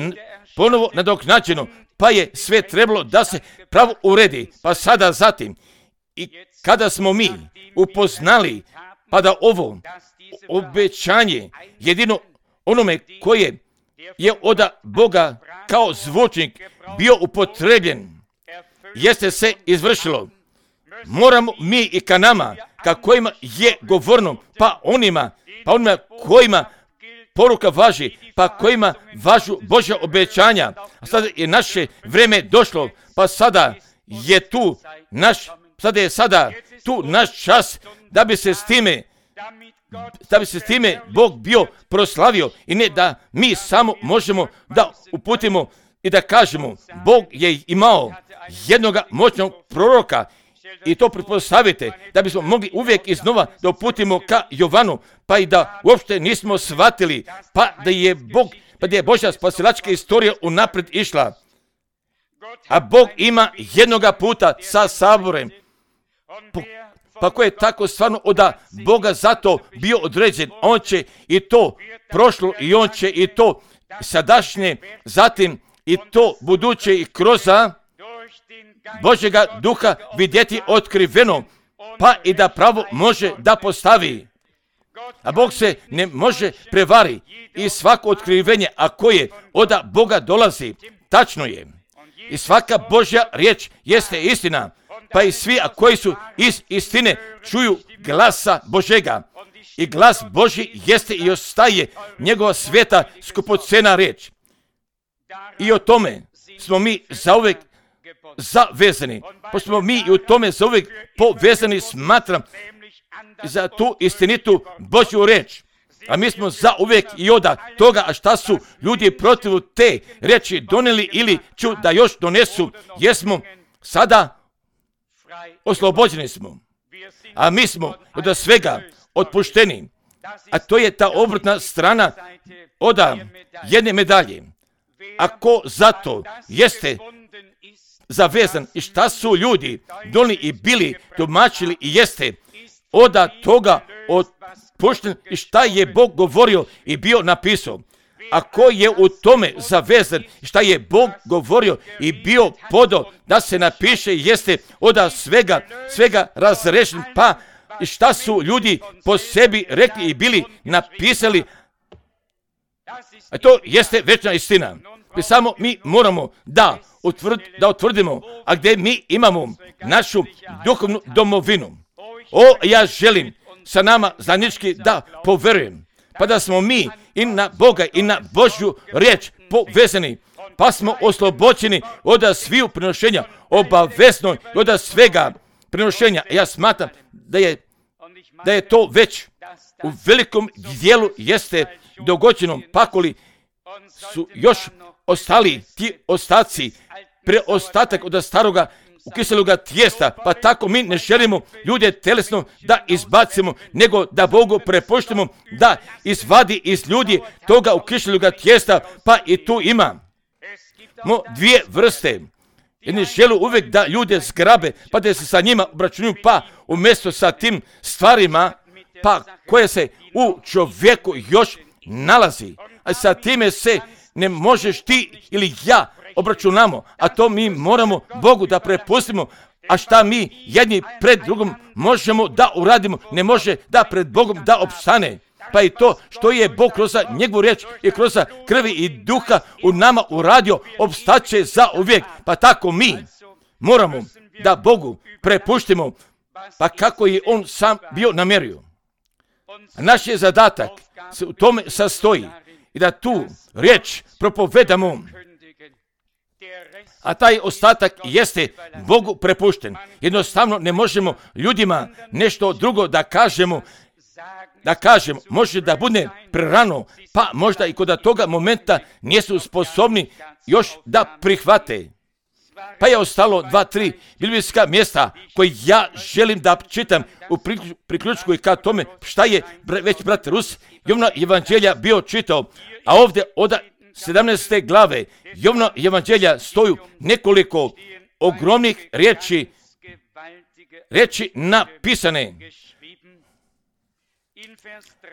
ponovo nadoknađeno, pa je sve trebalo da se pravo uredi. Pa sada zatim, i kada smo mi upoznali, pa da ovo obećanje jedino onome koje je od Boga kao zvučnik bio upotrebljen, jeste se izvršilo. Moramo mi i ka nama, ka kojima je govorno, pa onima, pa onima kojima poruka važi, pa kojima važu Božja obećanja. A sada je naše vrijeme došlo, pa sada je tu naš, sada je sada tu naš čas da bi se s time, da bi se s time Bog bio proslavio i ne da mi samo možemo da uputimo i da kažemo, Bog je imao jednoga moćnog proroka. I to pretpostavite da bismo mogli uvijek iznova da uputimo ka Jovanu, pa i da uopšte nismo shvatili, pa da je Bog, pa da je Božja spasilačka istorija unaprijed išla. A Bog ima jednoga puta sa saborem, pa ko je tako stvarno od Boga zato bio određen, on će i to prošlo i on će i to sadašnje, zatim i to buduće i kroz Božjega duha vidjeti otkriveno, pa i da pravo može da postavi. A Bog se ne može prevari i svako otkrivenje, a koje od Boga dolazi, tačno je. I svaka Božja riječ jeste istina, pa i svi a koji su iz istine čuju glasa Božjega. I glas Božji jeste i ostaje njegova sveta skupocena riječ. I o tome smo mi zauvijek zavezani, pa smo mi i u tome zauvijek povezani, smatram, za tu istinitu Božju riječ. A mi smo zauvijek i od toga, a šta su ljudi protiv te riječi donijeli ili ću da još donesu, jesmo sada oslobođeni smo. A mi smo od svega otpušteni. A to je ta obrtna strana od jedne medalje. Ako zato jeste zavezan i šta su ljudi donijeli i bili, tumačili i jeste od toga otpušten i šta je Bog govorio i bio napisao. A ko je u tome zavezan, šta je Bog govorio i bio podao da se napiše, jeste od svega, svega razrešen, pa šta su ljudi po sebi rekli i bili napisali, a to jeste večna istina. I samo mi moramo da, utvrd, da utvrdimo, a gdje mi imamo našu duhovnu domovinu. O, ja želim sa nama zajednički da poverujem, pa da smo mi i na Boga i na Božju riječ povezani, pa smo oslobođeni od sviju prinošenja, obavezno i od svega prinošenja. Ja smatram da je, da je to već u velikom dijelu jeste dogođeno, pakoli su još ostali ti ostaci, preostatak od staroga ukiseloga tijesta, pa tako mi ne želimo ljude telesno da izbacimo, nego da Bogu prepuštimo da izvadi iz ljudi toga ukiseloga tijesta, pa i tu ima mo dvije vrste. Jedni žele uvijek da ljude zgrabe, pa da se sa njima obračunaju, pa umjesto sa tim stvarima, pa koje se u čovjeku još nalazi, a sa time se ne možeš ti ili ja obračunamo, a to mi moramo Bogu da prepustimo, a šta mi jedni pred drugom možemo da uradimo, ne može da pred Bogom da opstane. Pa i to što je Bog kroz njegovu riječ i kroz krvi i duha u nama uradio, opstaće za uvijek. Pa tako mi moramo da Bogu prepuštimo, pa kako je on sam bio namjerio. Naš je zadatak se u tome sastoji i da tu riječ propovedamo, a taj ostatak jeste Bogu prepušten. Jednostavno ne možemo ljudima nešto drugo da kažemo, da kažemo, može da bude prerano, pa možda i kod toga momenta nisu sposobni još da prihvate. Pa je ostalo dva, tri biblijska mjesta koje ja želim da čitam u priključku i ka tome šta je već brat Rus Jovna evanđelja bio čitao, a ovdje od sedamnaeste glave Jovna evanđelja stoju nekoliko ogromnih riječi, riječi napisane.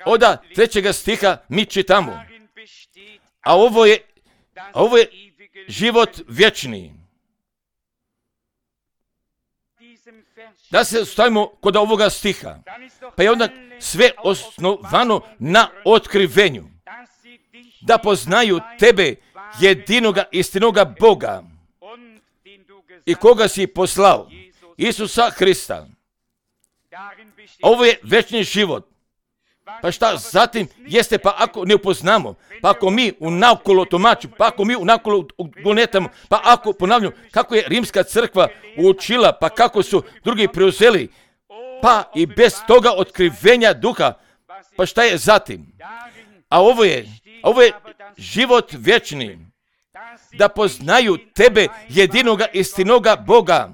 Od trećega stiha mi čitamo, a ovo je, a ovo je život vječni. Da se stavimo kod ovoga stiha, pa je onda sve osnovano na otkrivenju. Da poznaju tebe, jedinoga istinoga Boga i koga si poslao, Isusa Hrista. Ovo je večni život. Pa šta zatim jeste, pa ako ne upoznamo, pa ako mi unakolo tumačimo, pa ako mi unakolo gonetamo, pa ako ponavljamo kako je rimska crkva učila, pa kako su drugi preuzeli, pa i bez toga otkrivenja duha, pa šta je zatim? A ovo je, ovo je život vječni, da poznaju tebe, jedinoga istinoga Boga.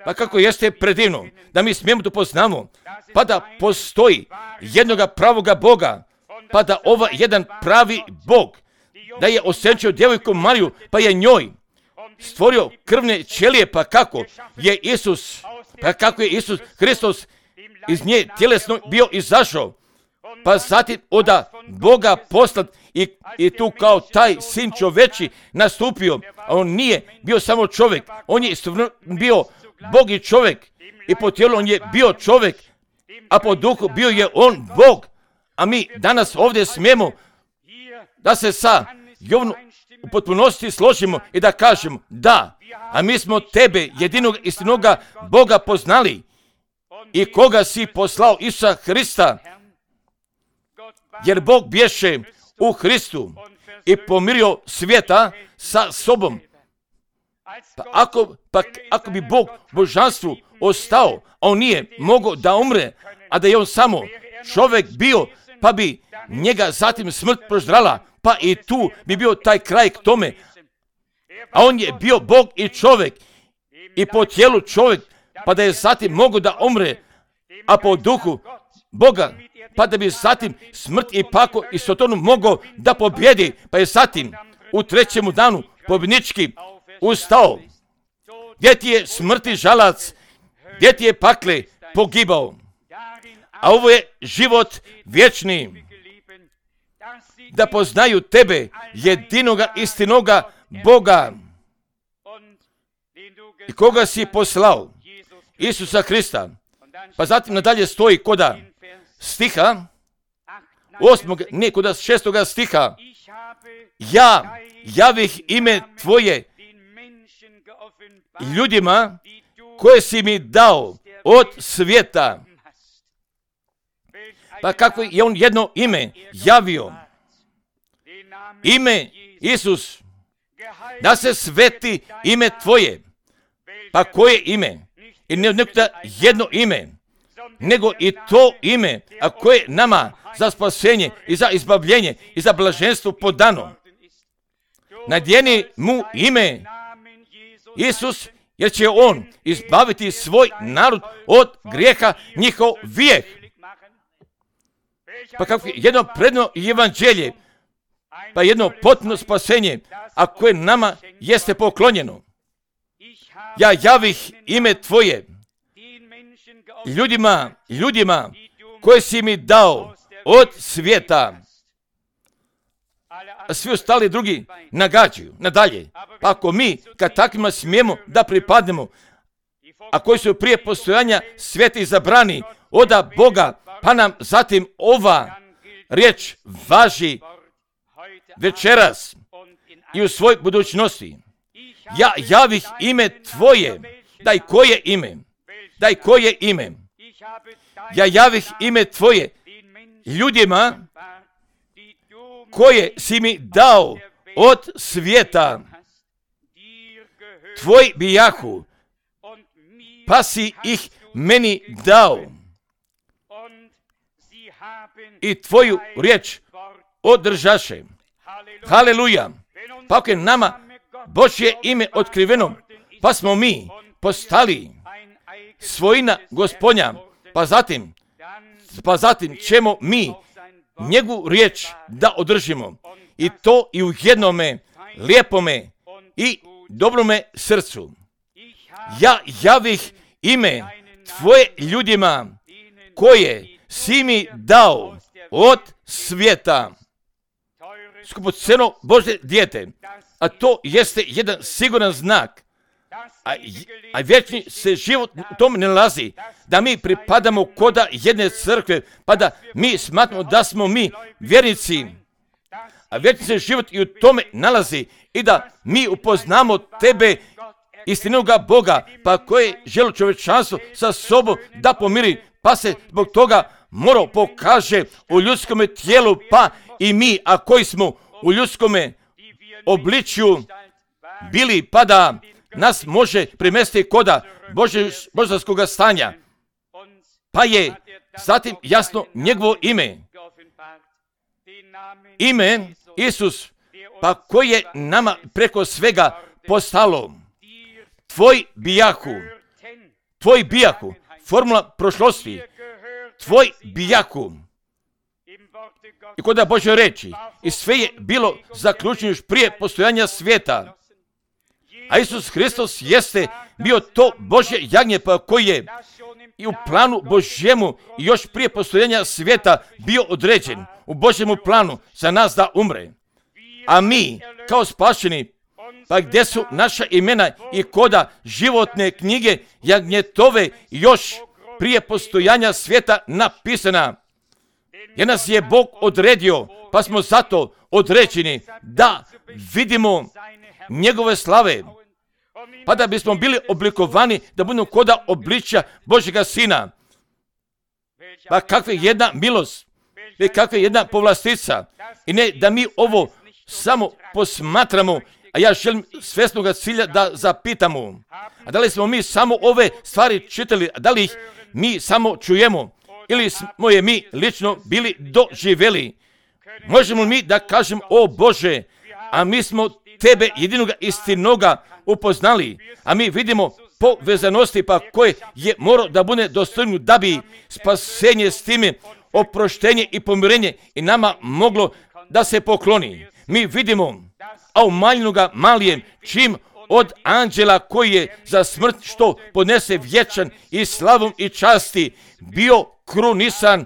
Pa kako jeste predivno, da mi smijemo da poznamo, pa da postoji jednoga pravoga Boga, pa da ova jedan pravi Bog, da je osjećao djevojku Mariju, pa je njoj stvorio krvne ćelije, pa kako je Isus, pa kako je Isus Hristos iz nje tjelesno bio izašao, pa zatim od Boga poslat i, i tu kao taj sin čoveči nastupio, a on nije bio samo čovjek, on je bio Bog i čovjek, i po tijelu on je bio čovjek, a po duhu bio je on Bog. A mi danas ovdje smijemo da se sa Jovnom u potpunosti složimo i da kažemo da, a mi smo tebe, jedinog istinoga Boga poznali i koga si poslao, Isusa Hrista, jer Bog bješe u Hristu i pomirio svijeta sa sobom. Pa ako, pa ako bi Bog božanstvu ostao, a on nije mogao da umre, a da je on samo čovjek bio, pa bi njega zatim smrt proždrala, pa i tu bi bio taj kraj k tome. A on je bio Bog i čovjek, i po tijelu čovjek, pa da je zatim mogao da umre, a po duhu Boga, pa da bi zatim smrt i pako i sotonu mogao da pobjedi, pa je zatim u trećemu danu pobjednički ustao, gdje ti je smrti žalac, gdje ti je pakle pogibao, a ovo je život vječni, da poznaju tebe, jedinoga istinoga Boga, i koga si poslao, Isusa Krista. Pa zatim nadalje stoji koda stiha, osmog, ne, koda šestoga stiha, ja javih ime tvoje ljudima koje si mi dao od svijeta. Pa kako je on jedno ime javio? Ime Isus, da se sveti ime tvoje. Pa koje ime? I ne nekada jedno ime, nego i to ime, a koje nama za spasenje i za izbavljenje i za blaženstvo podano. Nadjeni mu ime Isus, jer će on izbaviti svoj narod od grijeha njihov vijek. Pa kako jedno predno evanđelje, pa jedno potpuno spasenje, a koje nama jeste poklonjeno. Ja javih ime tvoje ljudima, ljudima koje si mi dao od svijeta. A svi ostali drugi nagađaju nadalje. Pa ako mi kad takvima smijemo da pripadnemo, a koji su prije postojanja svijeta izabrani oda Boga, pa nam zatim ova riječ važi večeras i u svoj budućnosti. Ja javih ime tvoje, daj koje ime, daj koje ime, ja javih ime tvoje ljudima koje si mi dao od svijeta, tvoj bijahu, pa si ih meni dao i tvoju riječ održaše. Haleluja. Pa ako je nama Božje ime otkriveno, pa smo mi postali svojina Gospodnja, pa zatim, pa zatim ćemo mi njegovu riječ da održimo, i to i u jednome lijepome i dobrome srcu. Ja javih ime tvoje ljudima koje si mi dao od svijeta. Skupoceno Božje dijete, a to jeste jedan siguran znak, a, a vječni se život u tom ne nalazi, da mi pripadamo koda jedne crkve, pa da mi smatramo da smo mi vjernici, a vječni se život i u tome nalazi, i da mi upoznamo tebe, istinoga Boga, pa koje želi čovječanstvo sa sobom da pomiri, pa se zbog toga moro pokaže u ljudskome tijelu, pa i mi, a koji smo u ljudskome obličju bili, pa da nas može primesti koda božanskoga stanja. Pa je zatim jasno njegovo ime. Ime Isus, pa koje je nama preko svega postalo. Tvoj bijahu, tvoj bijahu, formula prošlosti, tvoj bijahu. I koda Božje reči, i sve je bilo zaključeno još prije postojanja svijeta. A Isus Hristos jeste bio to Božje jagnje, pa koji je i u planu Božjemu i još prije postojanja svijeta bio određen u Božjemu planu za nas da umre. A mi, kao spašeni, pa gdje su naša imena i koda životne knjige jagnjetove još prije postojanja svijeta napisana. Jer nas je Bog odredio, pa smo zato određeni da vidimo njegove slave, pa da bismo bili oblikovani da budemo koda obličja Božjega Sina. Pa kakva je jedna milost, i kakva je jedna povlastica. I ne da mi ovo samo posmatramo, a ja želim svjesnoga cilja da zapitamo. A da li smo mi samo ove stvari čitali, a da li ih mi samo čujemo, ili smo je mi lično bili doživjeli? Možemo mi da kažemo, o Bože, a mi smo tebe jedinoga istinoga upoznali, a mi vidimo povezanosti pa koje je morao da bude dostojno da bi spasenje s time, oproštenje i pomirenje i nama moglo da se pokloni. Mi vidimo, a umanjeno ga malijem, čim od anđela koji je za smrt što podnese vječan i slavom i časti bio krunisan,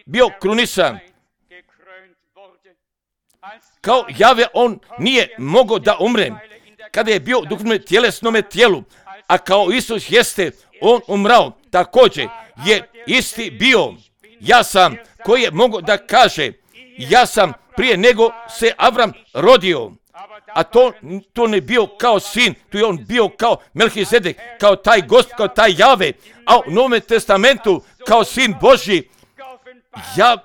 bio krunisan. Kao Jave on nije mogao da umre kada je bio u duhovnom tjelesnome tijelu, a kao Isus jeste on umrao, također je isti bio. Ja sam koji je mogao da kaže ja sam prije nego se Avram rodio, a to, to ne bio kao sin, tu je on bio kao Melhizedek, kao taj Gospod, kao taj Jave, a u Novom testamentu kao sin Božji, ja,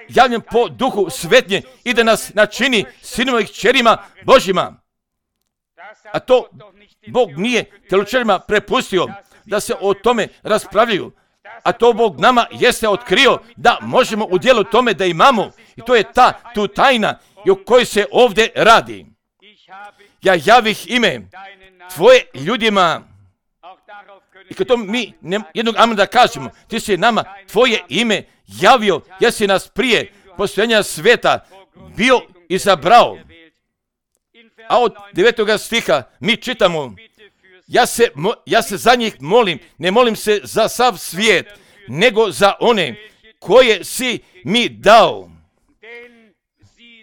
javljen po duhu svetnje i da nas načini sinima i kćerima Božjima. A to Bog nije teoločarima prepustio da se o tome raspravljaju, a to Bog nama jeste otkrio da možemo u dijelu tome da imamo, i to je ta tu tajna i o kojoj se ovdje radi. Ja javih ime tvoje ljudima, i kad to mi ne, jednog amen da kažemo, ti si nama tvoje ime javio, jesi nas prije postojanja sveta bio izabrao. A od devetoga stiha mi čitamo, ja se, ja se za njih molim, ne molim se za sav svijet, nego za one koje si mi dao,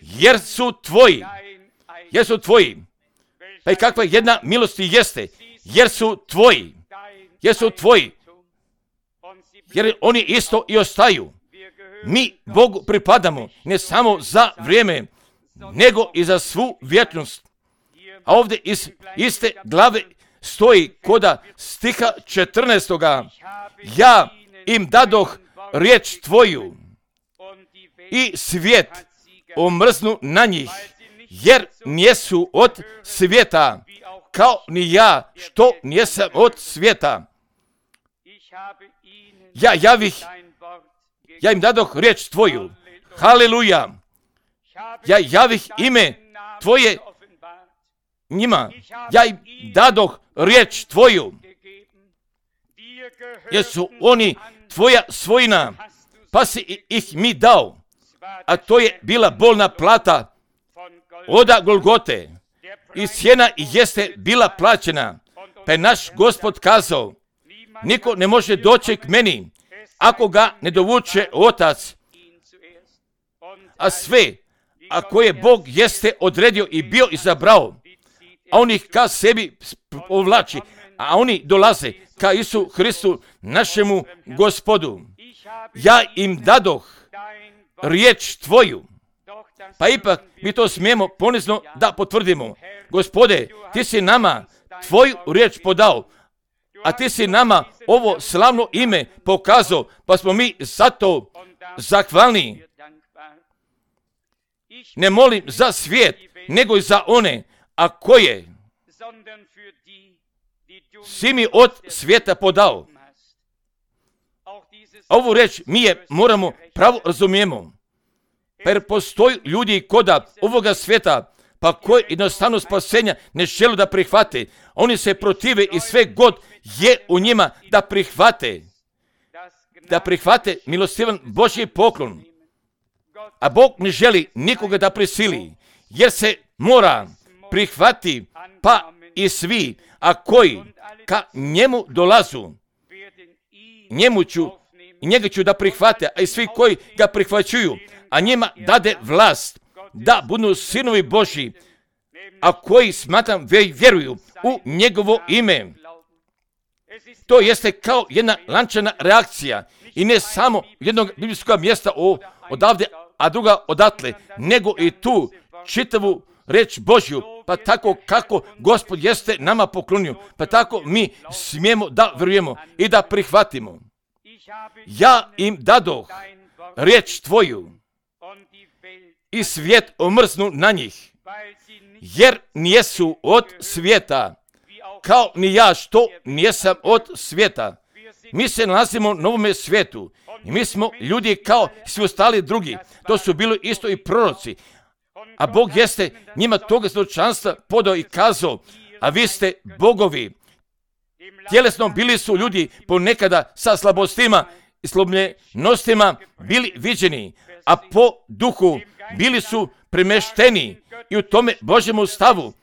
jer su tvoji, jer su tvoji. Pa i kakva jedna milosti jeste, jer su tvoji, jer su tvoji, jer oni isto i ostaju. Mi Bogu pripadamo ne samo za vrijeme, nego i za svu vječnost. A ovdje iz iste glave stoji koda stiha četrnaestoga. Ja im dadoh riječ tvoju i svijet omrznu na njih, jer nijesu od svijeta, kao ni ja što nijesam od svijeta. Ja javih, ja im dadoh riječ tvoju. Haleluja. Ja javih ime tvoje njima. Ja im dadoh riječ tvoju. Jer su oni tvoja svojina, pa si ih mi dao. A to je bila bolna plata oda Golgote. I cijena jeste bila plaćena. Pa je naš Gospod kazao, niko ne može doći k meni ako ga ne dovuče Otac. A sve, ako je Bog jeste odredio i bio izabrao, a on ih ka sebi povlači, a oni dolaze ka Isu Hristu, našemu Gospodu. Ja im dadoh riječ tvoju. Pa ipak mi to smijemo ponizno da potvrdimo. Gospode, ti si nama tvoju riječ podao, a ti si nama ovo slavno ime pokazao, pa smo mi zato zahvalni. Ne molim za svijet, nego i za one, a koje si mi od svijeta podao. Ovu reč mi je moramo pravo razumijemo. Per postoji ljudi koda ovoga svijeta, pa koji jednostavno spasenja ne žele da prihvate. Oni se protive i sve god je u njima da prihvate. Da prihvate milostivan Božji poklon. A Bog ne želi nikoga da prisili, jer se mora prihvati, pa i svi, a koji ka njemu dolazu, njemu ću, njega ću da prihvate, a i svi koji ga prihvaćuju, a njima dade vlast da budu sinovi Božji, a koji smatram vjeruju u njegovo ime. To jeste kao jedna lančana reakcija i ne samo jednog biblijskog mjesta odavde, a druga odatle, nego i tu čitavu reč Božju, pa tako kako Gospod jeste nama poklonio, pa tako mi smijemo da vjerujemo i da prihvatimo. Ja im dadoh riječ tvoju i svijet omrznu na njih, jer nijesu od svijeta, kao ni ja što nijesam od svijeta. Mi se nalazimo u novome svijetu i mi smo ljudi kao svi ostali drugi. To su bili isto i proroci. A Bog jeste njima toga zločanstva podao i kazao, a vi ste bogovi. Tjelesno bili su ljudi ponekada sa slabostima i slomljenostima bili viđeni, a po duhu bili su premešteni i u tome Božjemu stavu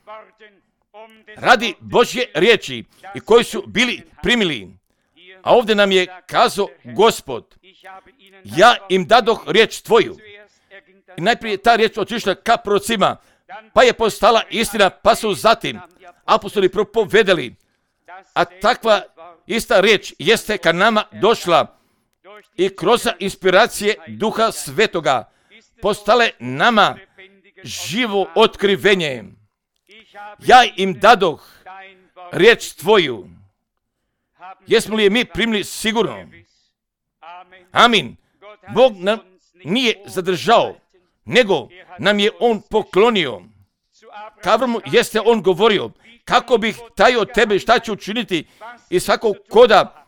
radi Božje riječi i koji su bili primili. A ovdje nam je kazao Gospod, ja im dadoh riječ tvoju. I najprije ta riječ otišla ka prorocima, pa je postala istina, pa su zatim apostoli propovedali. A takva ista riječ jeste ka nama došla i kroz inspiracije Duha Svetoga postale nama živo otkrivenje. Ja im dadoh riječ tvoju. Jesmo li je mi primili sigurno? Amin. Bog nam nije zadržao, nego nam je On poklonio. K Avramu jeste On govorio, kako bih taj od tebe šta ću učiniti i svakog koda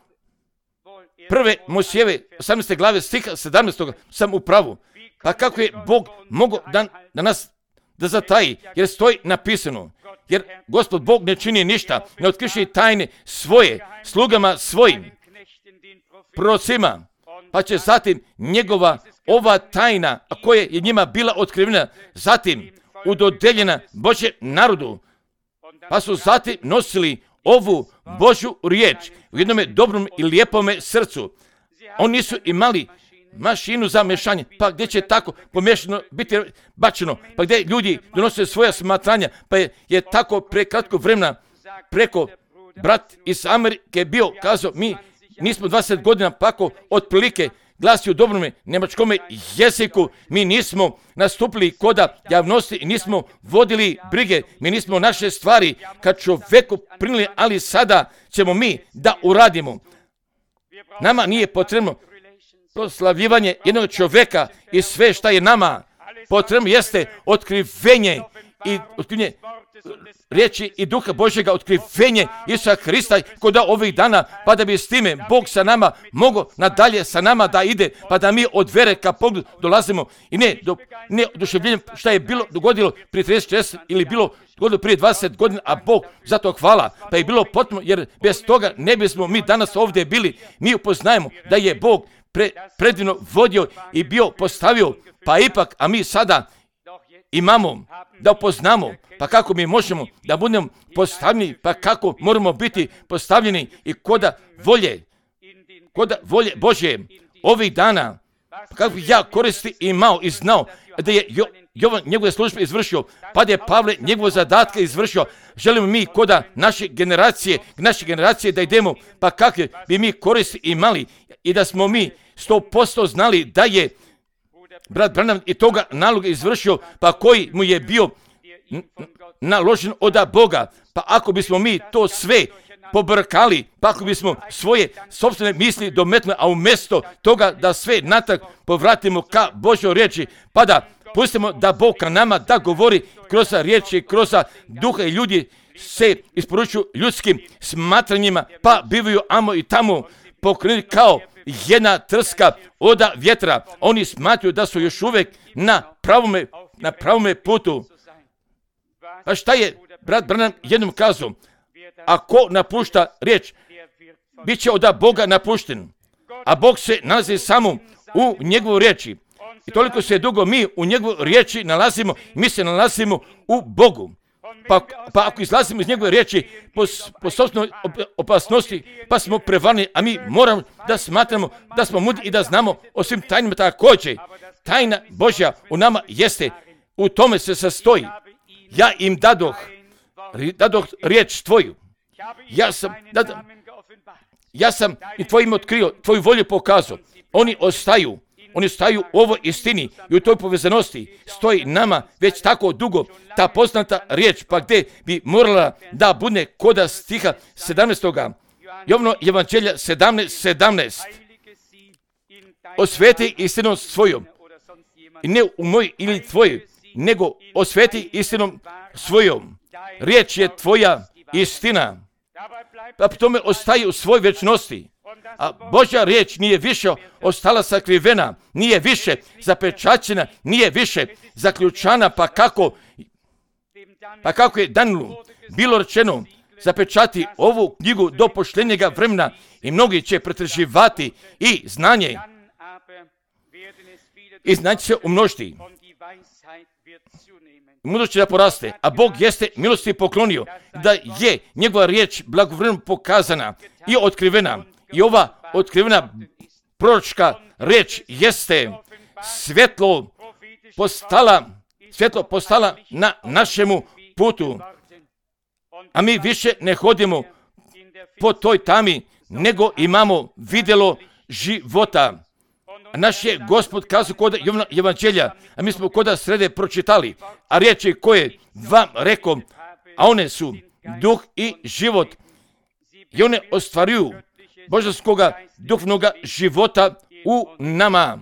prve Mojsijeve osamnaeste glave stiha sedamnaestog sam u pravu. Pa kako je Bog mogao da, da nas da zataji, jer stoji napisano. Jer Gospod Bog ne čini ništa, ne otkriše tajne svoje slugama svojim prorocima, pa će zatim njegova ova tajna, a koja je njima bila otkrivena, zatim udodeljena Božjem narodu, pa su zatim nosili ovu Božju riječ u jednome dobrom i lijepome srcu. Oni nisu imali mašinu za mešanje, pa gdje će tako pomešano biti bačeno, pa gdje ljudi donose svoja smatranja, pa je, je tako pre kratko vremena preko brat iz Amerike bio kazao, mi nismo dvadeset godina pako otprilike glasi u dobrome njemačkome jeziku, mi nismo nastupili koda javnosti i nismo vodili brige, mi nismo naše stvari kad čoveku prinili, ali sada ćemo mi da uradimo. Nama nije potrebno proslavljivanje jednog čovjeka i sve šta je nama potrebno jeste otkrivenje i otkrivenje riječi i Duha Božjega, otkrivenje Isusa Hrista kod ovih dana, pa da bi s time Bog sa nama mogao nadalje sa nama da ide, pa da mi od vere ka Bogu dolazimo i ne, do, ne oduševljenjem šta je bilo dogodilo prije trideset četrdeset ili bilo dogodilo prije dvadeset godina, a Bog zato hvala, pa je bilo potpuno, jer bez toga ne bismo mi danas ovdje bili. Mi upoznajemo da je Bog pre, predivno vodio i bio postavio, pa ipak, a mi sada imamo da upoznamo, pa kako mi možemo da budemo postavljeni, pa kako moramo biti postavljeni i koda volje, koda volje Božje ovih dana, pa kako ja koristi imao i znao da je jo, Jovan njegove službe izvršio, pa da je Pavle njegove zadatke izvršio. Želimo mi koda naše generacije, naše generacije da idemo, pa kakve bi mi koristi imali i da smo mi sto posto znali da je brat Branham i toga naloga izvršio, pa koji mu je bio naložen od Boga. Pa ako bismo mi to sve pobrkali, pa ako bismo svoje sopstvene misli dometnuli, a umjesto toga da sve natrag povratimo ka Božjoj riječi, pa da pustimo da Bog ka nama da govori kroz riječi, kroz duha i ljudi se isporučuju ljudskim smatranjima, pa bivaju amo i tamo pokrenuti kao jedna trska oda vjetra. Oni smatruju da su još uvijek na pravome, na pravome putu. A šta je brat Branham jednom kazao? Ako napušta riječ, bit će od Boga napušten. A Bog se nalazi samo u njegovoj riječi. I toliko se dugo mi u njegovoj riječi nalazimo, mi se nalazimo u Bogu. Pa, pa ako izlazimo iz njegove riječi po, po sobstvenoj opasnosti, pa smo prevarni, a mi moramo da smatramo da smo mudri i da znamo o svim tajnima također. Tajna Božja u nama jeste, u tome se sastoji. Ja im dadoh, dadoh riječ tvoju. Ja sam, dadoh, ja sam i tvojim otkrio, tvoju volju pokazao. Oni ostaju. Oni staju u ovoj istini i u toj povezanosti stoji nama već tako dugo ta poznata riječ, pa gdje bi morala da bude koda stiha sedamnaestoga. Jovno Evanđelja sedamnaest sedamnaest. Osveti istinom svojom. I ne u moj ili tvoj, nego osveti istinom svojom. Riječ je tvoja istina. Pa po tome ostaje u svoj večnosti. A Božja riječ nije više ostala sakrivena, nije više zapečaćena, nije više zaključana, pa kako, pa kako je Danielu bilo rečeno, zapečati ovu knjigu do poštenjega vremena i mnogi će pretraživati i znanje. I znanje se umnožiti. mudrosti da poraste, a Bog jeste milosti poklonio, da je njegova riječ blagovremeno pokazana i otkrivena. I ova otkrivena proročka riječ jeste svjetlo postala, svjetlo postala na našemu putu. A mi više ne hodimo po toj tami, nego imamo vidjelo života. Naš je Gospod kazao kod Jovana evanđelja, a mi smo kod srede pročitali, a riječi koje vam rekom, a one su duh i život. I one ostvaruju božanskoga duhovnoga života u nama.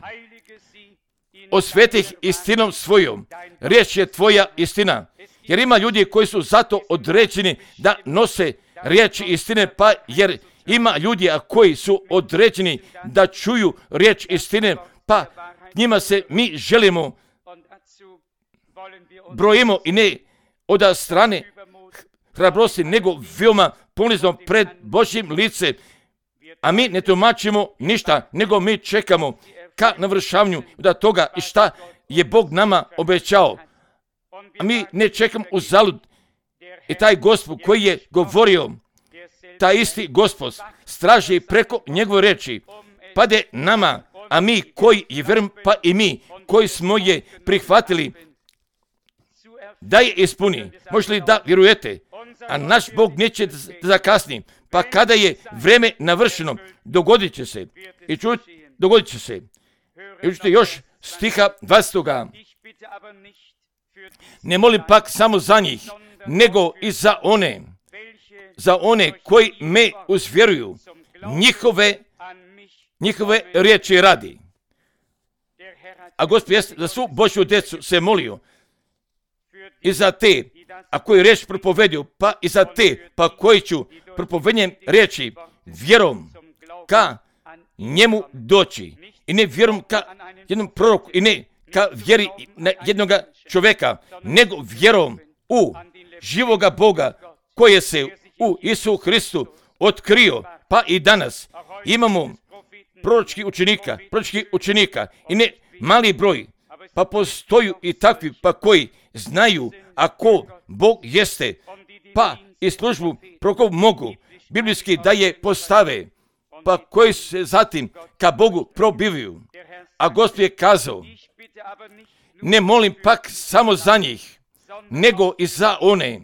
Osveti ih istinom svojom. Riječ je tvoja istina. Jer ima ljudi koji su zato određeni da nose riječi istine, pa jer ima ljudi koji su određeni da čuju riječ istine, pa njima se mi želimo, brojimo i ne od strane hrabrosti, nego veoma ponizno pred Božjim lice. A mi ne tumačimo ništa, nego mi čekamo ka navršavanju da toga i šta je Bog nama obećao. A mi ne čekamo uzalud. I taj Gospod koji je govorio, taj isti Gospod straži preko njegove reči, pade nama, a mi koji je vjerujem, pa i mi koji smo je prihvatili, da je ispuni. Možete li da vjerujete? A naš Bog neće da zakasni, pa kada je vreme navršeno, dogodit će se. I čujte, dogodit će se. I čujte još stiha dvadesetoga. Ne molim pak samo za njih, nego i za one, za one koji me uzvjeruju, njihove, njihove riječi radi. A Gospod jest za svu Božju djecu se molio i za te, a koji riječ propovedio, pa i za te, pa koji ću propovednjem riječi vjerom ka njemu doći. I ne vjerom ka jednom proroku, i ne ka vjeri na jednoga čovjeka, nego vjerom u živoga Boga koje se u Isu Hristu otkrio, pa i danas imamo proročkih učenika, proročkih učenika i ne mali broj, pa postoju i takvi pa koji znaju ako Bog jeste, pa i službu prorokov mogu biblijski da je postave, pa koji se zatim ka Bogu probivaju. A Gospod je kazao, ne molim pak samo za njih, nego i za one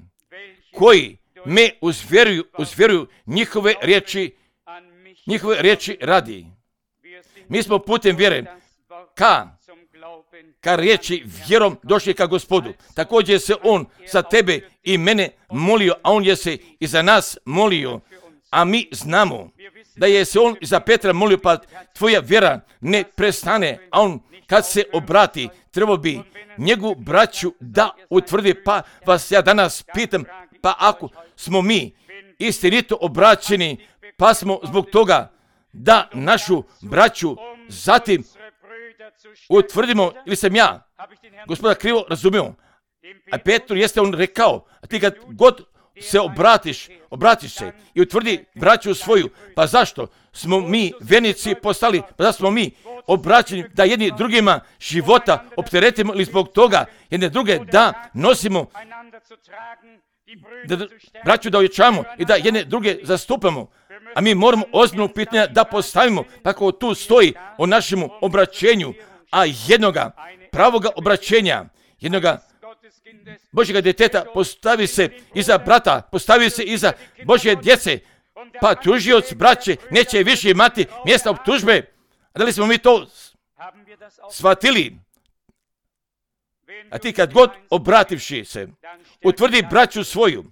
koji me uzvjeruju, uzvjeruju njihove riječi, njihove riječi radi. Mi smo putem vjere ka, ka riječi vjerom došli ka Gospodu. Također se on za tebe i mene molio, a on je se i za nas molio. A mi znamo da je se on i za Petra molio, pa tvoja vjera ne prestane, a on kad se obrati, trebao bi njegovu braću da utvrdi, pa vas ja danas pitam, pa ako smo mi istinito obraćeni, pa smo zbog toga da našu braću zatim utvrdimo, ili sam ja Gospoda krivo razumio, a Petru jeste on rekao, a ti kad god se obratiš, obratiš se i utvrdi braću svoju, pa zašto smo mi vjernici postali, pa zašto smo mi obraćeni da jedni drugima života opteretimo ili zbog toga jedne druge da nosimo, da braću da ojačamo i da jedne druge zastupamo. A mi moramo ozbiljno pitanja da postavimo, tako tu stoji o našemu obraćenju, a jednoga pravoga obraćenja, jednoga Božjega djeteta postavi se iza brata, postavi se iza Božje djece, pa tužioc braće neće više imati mjesta optužbe. A da li smo mi to shvatili? A ti kad god obrativši se, utvrdi braću svoju,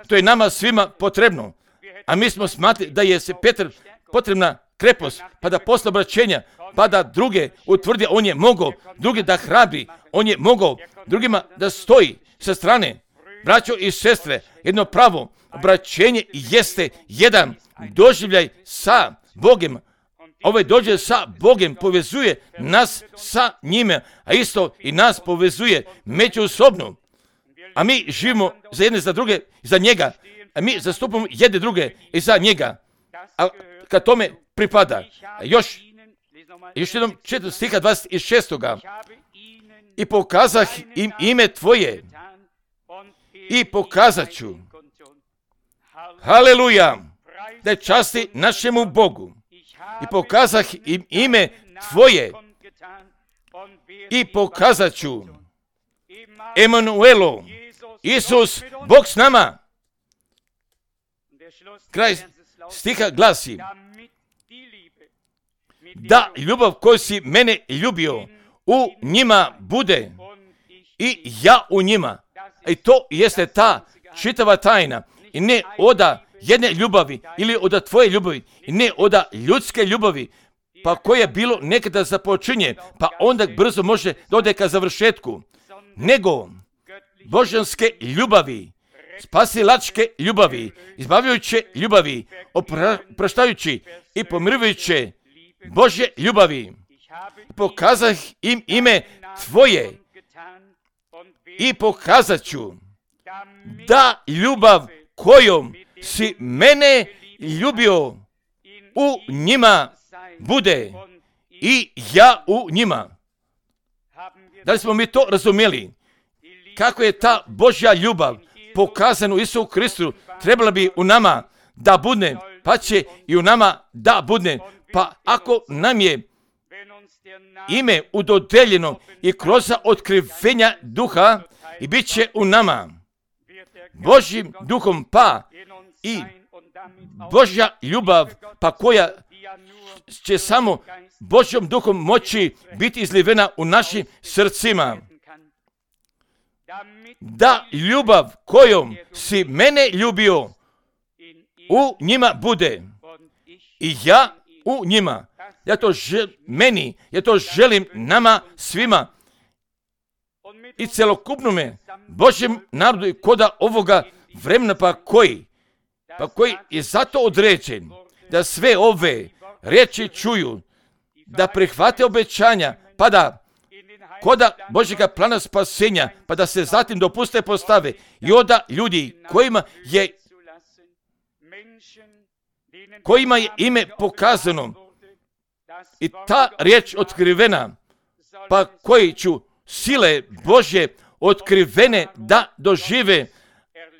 to je nama svima potrebno. A mi smo smatrali da je se Petar potrebna krepost, pa da posle obraćenja, pa da druge utvrdi, on je mogao, drugi da hrabri, on je mogao, drugima da stoji sa strane. Braćo i sestre, jedno pravo obraćenje jeste jedan doživljaj sa Bogom. Ovaj dođe sa Bogom, povezuje nas sa njime, a isto i nas povezuje međusobno. A mi živimo za jedne, za druge, za njega, a mi zastupamo jedne druge i za njega. A kad tome pripada, još, još jednom četiri stiha dvadeset šestoga. i pokazah im ime Tvoje i pokazat ću. Haleluja, da časti našemu Bogu i pokazah im ime Tvoje i pokazat ću. Emanuelo, Isus, Bog s nama. Kraj stiha glasi, da ljubav koju si mene ljubio u njima bude i ja u njima. I to jeste ta čitava tajna. I ne oda jedne ljubavi ili oda tvoje ljubavi i ne oda ljudske ljubavi, pa koje bilo nekada započinje, pa onda brzo može dode ka završetku, nego božanske ljubavi, spasilačke ljubavi, izbavljajuće ljubavi, opraštajući i pomirujuće Božje ljubavi. Pokazah im ime Tvoje i pokazat ću da ljubav kojom si mene ljubio u njima bude i ja u njima. Da li smo mi to razumjeli? Kako je ta Božja ljubav pokazana u Isusu Kristu, trebala bi u nama da bude, pa će i u nama da bude. Pa ako nam je ime udodeljeno i kroz otkrivenja duha i bit će u nama Božjim duhom, pa i Božja ljubav, pa koja će samo Božjom duhom moći biti izlivena u našim srcima. Da ljubav kojom si mene ljubio u njima bude i ja u njima. Ja to želim meni, ja to želim nama svima i celokupnome Božjem narodu i koda ovoga vremena, pa koji, pa koji je zato određen da sve ove riječi čuju, da prihvate obećanja, pa da koda Božjega plana spasenja, pa da se zatim dopuste postave i onda ljudi kojima je kojima je ime pokazano i ta riječ otkrivena, pa koji ću sile Božje otkrivene da dožive,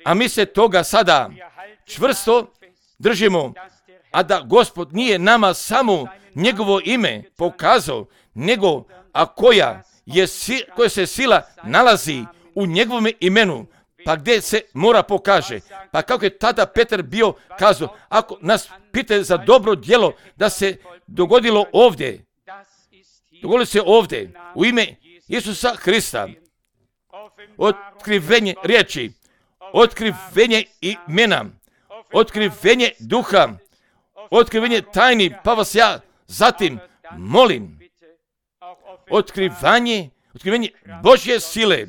a mi se toga sada čvrsto držimo, a da Gospod nije nama samo njegovo ime pokazao, nego a koja je koja se sila nalazi u njegovom imenu, pa gdje se mora pokaže. Pa kako je tada Petar bio kazao, ako nas pite za dobro djelo da se dogodilo ovdje, dogodilo se ovdje u ime Isusa Hrista, otkrivenje riječi, otkrivenje imena, otkrivenje duha, otkrivenje tajni, pa vas ja zatim molim, otkrivanje, otkrivanje Božje sile,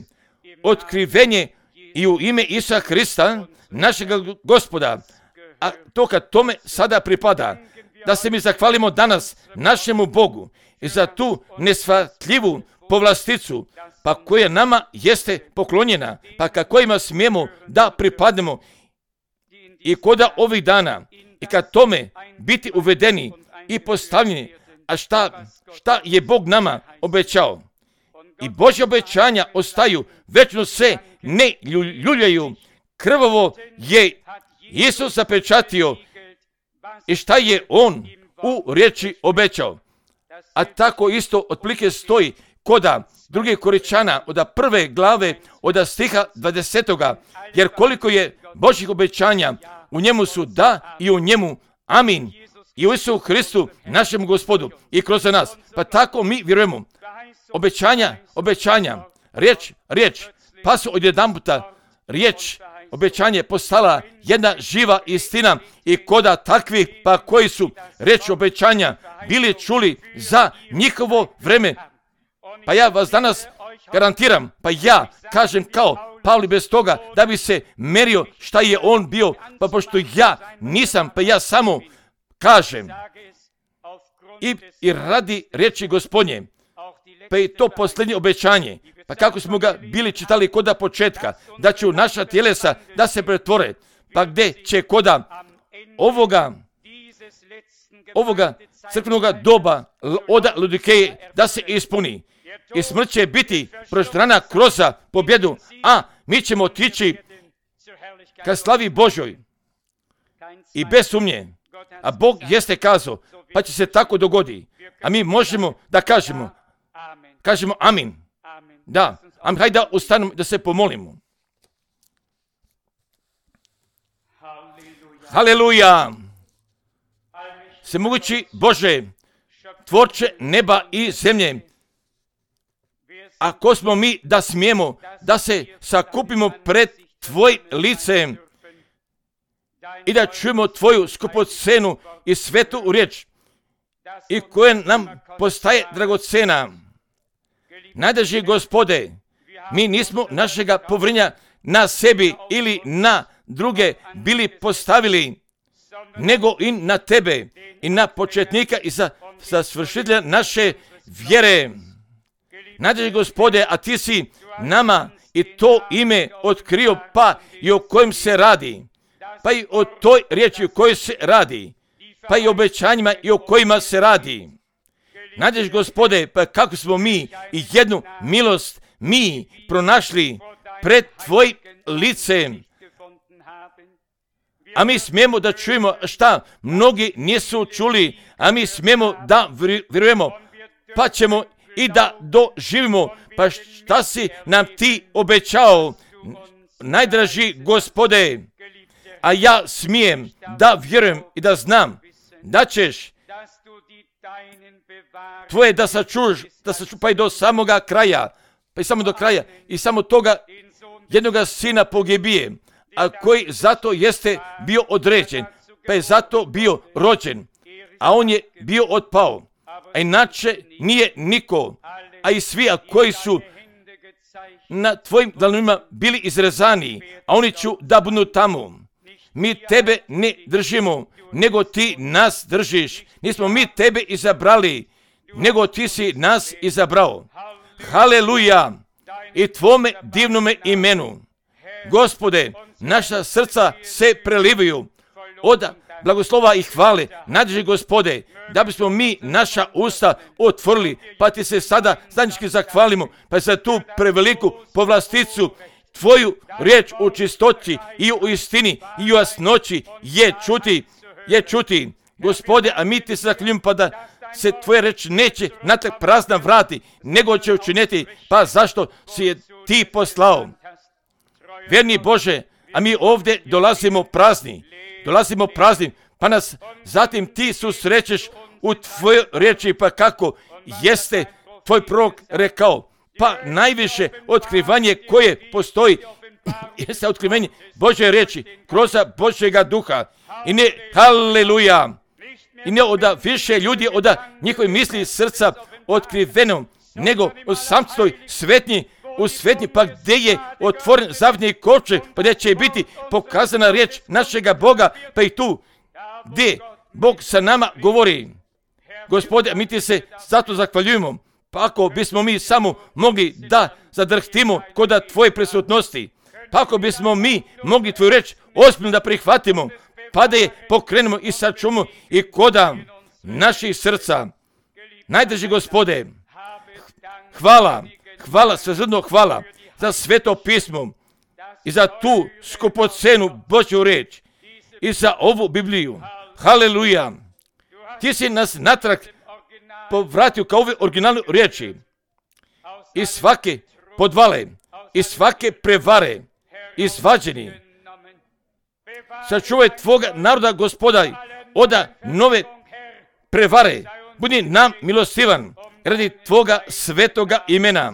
otkrivenje i u ime Isusa Hrista, našega Gospoda, a to kad tome sada pripada, da se mi zahvalimo danas našemu Bogu i za tu nesvatljivu povlasticu, pa koja nama jeste poklonjena, pa ka kojima smijemo da pripadnemo i koda ovih dana i kad tome biti uvedeni i postavljeni, a šta, šta je Bog nama obećao. I Božje obećanja ostaju, večno se ne ljuljaju. Krvavo je Isus zapečatio i šta je On u riječi obećao. A tako isto otprilike stoji koda druge Koričana od prve glave od stiha dvadesetoga, jer koliko je Božjih obećanja, u njemu su da i u njemu amin. I u Isusu Hristu, našem Gospodu i kroz nas. Pa tako mi vjerujemo. Obećanja, obećanja, riječ, riječ, pa su odjedanputa riječ, obećanje postala jedna živa istina i koda takvi, pa koji su riječ obećanja bili čuli za njihovo vreme. Pa ja vas danas garantiram, pa ja kažem kao Pavli bez toga da bi se merio šta je on bio, pa pošto ja nisam, pa ja samo kažem i, i radi riječi Gospodnje, pa i to posljednje obećanje, pa kako smo ga bili čitali koda početka, da će u naša tjelesa da se pretvore, pa gdje će koda ovoga, ovoga crkvenoga doba od Laodikeje da se ispuni. i smrt će biti proštrana kroz pobjedu, a mi ćemo otići ka slavi Božoj. I bez sumnje, a Bog jeste kazao, pa će se tako dogodi. A mi možemo da kažemo, kažemo amin. Da, amin, hajde da ustanemo da se pomolimo. Haleluja! Svemogući Bože, tvorče neba i zemlje, ako smo mi da smijemo da se sakupimo pred Tvoj licem i da čujemo Tvoju skupocenu i svetu riječ i koja nam postaje dragocena. Najdraži Gospode, mi nismo našega povrinja na sebi ili na druge bili postavili, nego i na Tebe i na početnika i za, za svršitelja naše vjere. Najdraži Gospode, a Ti si nama i to ime otkrio, pa i o kojem se radi, pa i o toj riječi o kojoj se radi, pa i o obećanjima i o kojima se radi. Najdraži Gospode, pa kako smo mi i jednu milost mi pronašli pred Tvojim licem, a mi smijemo da čujemo šta mnogi nisu čuli, a mi smijemo da vjerujemo, pa ćemo i da doživimo, pa šta si nam Ti obećao, najdraži Gospode, a ja smijem da vjerujem i da znam da ćeš Tvoje da sačuvaš, da sačuvaš pa i do samoga kraja, pa i samo do kraja i samo toga jednoga sina pogibije, a koji zato jeste bio određen, pa je zato bio rođen, a on je bio otpao, a inače nije niko, a i svi a koji su na Tvojim dlanima bili izrezani, a oni ću da budu tamo. Mi Tebe ne držimo, nego Ti nas držiš. Nismo mi Tebe izabrali, nego Ti si nas izabrao. Haleluja! I Tvome divnome imenu. Gospode, naša srca se prelivaju od blagoslova i hvale. Najdraži Gospode, da bismo mi naša usta otvorili, pa Ti se sada zajednički zahvalimo, pa za tu preveliku povlasticu, Tvoju riječ u čistoći i u istini i u jasnoći je čuti, je čuti. Gospode, a mi Ti se zahvaljujemo, pa da se Tvoja reč neće natrag prazna vrati, nego će učiniti, pa zašto si je Ti poslao. Vjerni Bože, a mi ovdje dolazimo prazni, dolazimo prazni, pa nas zatim Ti susrećeš u Tvojoj riječi, pa kako jeste Tvoj prorok rekao, pa najviše otkrivanje koje postoji jeste otkrivanje Božje riječi kroz Božjega duha. I ne, haleluja, i ne od više ljudi od njihovi misli i srca otkriveno, nego u samstoj svetnji, u svetnji, pa gdje je otvoren zavjetni kovčeg, pa gdje će biti pokazana riječ našega Boga, pa i tu gdje Bog sa nama govori. Gospode, mi Ti se zato zahvaljujemo, pa ako bismo mi samo mogli da zadrhtimo kod Tvoje prisutnosti, pa ako bismo mi mogli Tvoju reč ozbiljno da prihvatimo, pa da je pokrenemo i sačuvamo i koda naših srca. Najdraži Gospode, hvala, hvala, svejedno hvala za sveto pismo i za tu skupocenu Božju reč i za ovu Bibliju. Haleluja! Ti si nas natrag povratio kao ove originalne riječi i svake podvale i svake prevare izvađeni. Sačuvaj Tvoga naroda, Gospodaj, od nove prevare. Budi nam milostivan radi Tvoga svetoga imena.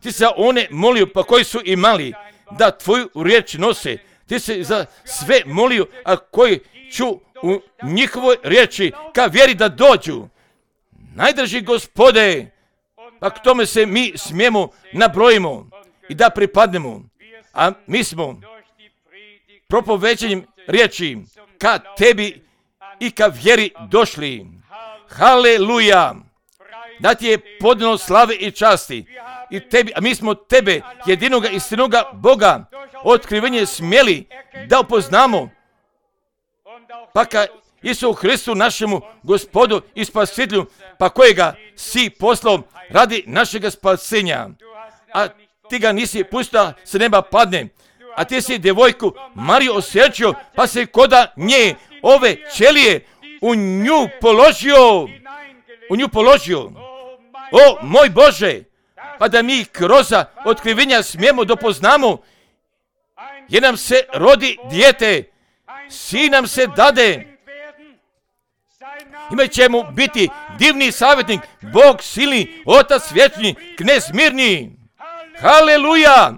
Ti se one molio, pa koji su imali da Tvoju riječ nose. Ti se za sve molio, a koji ću u njihovoj riječi ka vjeri da dođu. Najdraži Gospode, pa k tome se mi smijemo nabrojimo i da pripadnemo. A mi smo propoveđenjem riječi ka Tebi i ka vjeri došli. Haleluja! Da Ti je podano slave i časti i Tebi, a mi smo Tebe, jedinoga istinoga Boga, otkrivenje smjeli da upoznamo, pa ka Isu Hristu našemu Gospodu i Spasitelju, pa kojega si poslao radi našega spasenja. A ti ga nisi pustio se neba padne, a ti si djevojku Mariju osjećao, pa se koda nje ove ćelije u nju položio, u nju položio. O, moj Bože, pa da mi kroz otkrivenja smijemo dopoznamo, jer nam se rodi dijete, sin nam se dade, imat će mu biti divni savjetnik, Bog silni, Otac vječni, Knez mirni. Haleluja!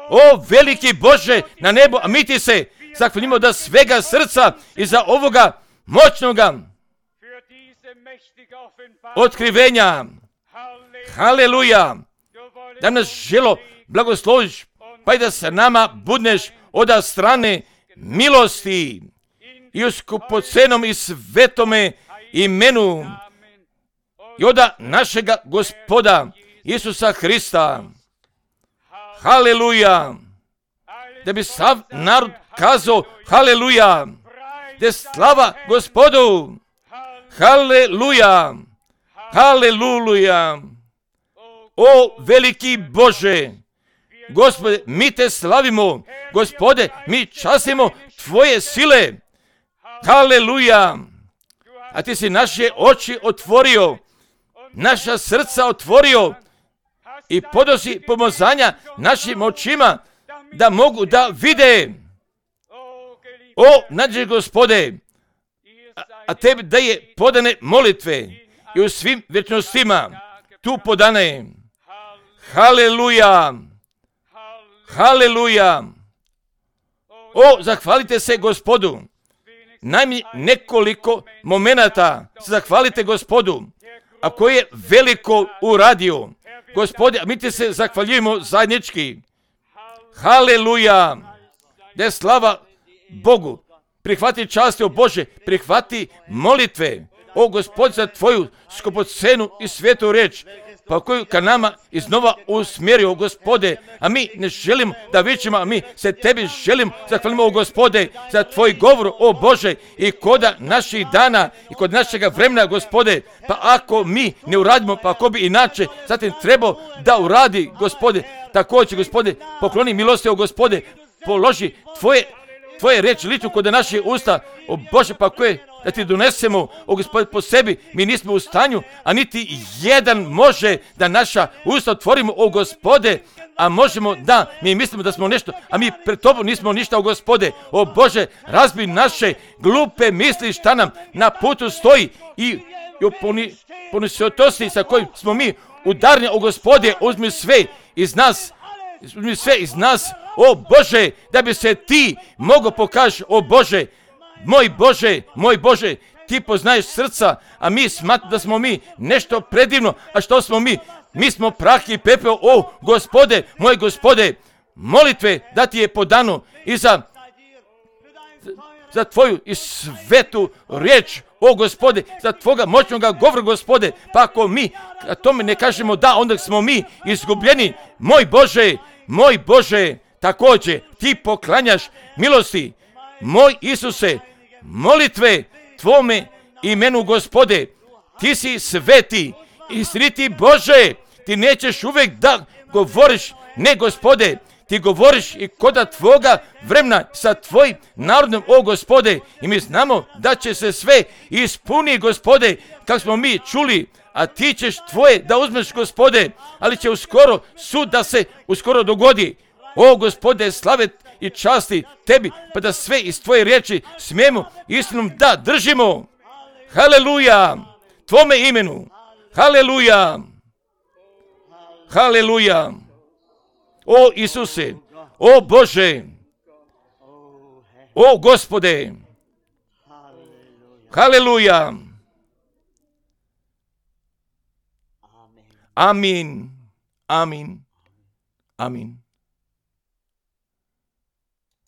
O, veliki Bože na nebu, a mi ti se zahvalimo da svega srca i za ovoga moćnoga otkrivenja. Haleluja! Da nas želo blagosloviš, pa i da se nama budneš od strane milosti i u skupocenom i svetome imenu i od našega Gospoda Isusa Hrista. Haleluja! Da bi sav narod kazao haleluja, da je slava Gospodu. Haleluja! Haleluja! O, veliki Bože, Gospode, mi te slavimo, Gospode, mi častimo tvoje sile. Haleluja! A ti si naše oči otvorio, naša srca otvorio i podosi pomazanja našim očima da mogu da vide. O, nađe Gospode, a, a tebi da je podane molitve i u svim vječnostima tu podane. Haleluja! Haleluja! O, zahvalite se Gospodu. Najmanje nekoliko momenata se zahvalite Gospodu, a koji je veliko uradio. Gospode, a mi ti se zahvaljujemo zajednički. Haleluja! Da je slava Bogu. Prihvati časti, o Bože, prihvati molitve. O Gospod, za tvoju skupocenu i svetu riječ, pa koju ka nama iznova usmjerio, Gospode, a mi ne želimo da vičemo, a mi se tebi želimo, zahvalimo, o Gospode, za tvoj govor, o Bože, i koda naših dana i kod našega vremena, Gospode, pa ako mi ne uradimo, pa ako bi inače, zatim trebao da uradi, Gospode, također, Gospode, pokloni milosti, o Gospode, položi tvoje, tvoje riječi liču kod naših usta, o Bože, pa koje da ti donesemo, o Gospode, po sebi, mi nismo u stanju, a niti jedan može da naša usta otvorimo, o Gospode, a možemo da, mi mislimo da smo nešto, a mi pred tobom nismo ništa, o Gospode, o Bože, razbi naše glupe misli šta nam na putu stoji i, i u poni, ponisjotosti sa kojim smo mi udarni, o Gospode, uzmi sve iz nas, uzmi sve iz nas, o Bože, da bi se ti mogo pokaži, o Bože, moj Bože, moj Bože, ti poznaješ srca, a mi smatramo da smo mi nešto predivno, a što smo mi? Mi smo prah i pepeo, o Gospode, moj Gospode, molitve da ti je podano i za, za tvoju i svetu riječ, o Gospode, za tvoga moćnoga govora, Gospode, pa ako mi a tome ne kažemo da, onda smo mi izgubljeni, moj Bože, moj Bože, također ti poklanjaš milosti, moj Isuse, molitve tvome imenu, Gospode, ti si sveti, istiniti Bože, ti nećeš uvijek da govoriš, ne Gospode, ti govoriš i koda tvoga vremena sa tvojim narodom, o Gospode, i mi znamo da će se sve ispuni, Gospode, kako smo mi čuli, a ti ćeš tvoje da uzmeš, Gospode, ali će uskoro sud da se uskoro dogodi. O Gospode, slave i časti tebi, pa da sve iz tvoje riječi smijemo istinom da držimo. Haleluja, tvome imenu. Haleluja, haleluja. O Isuse, o Bože, o Gospode. Haleluja. Amin, amin, amin.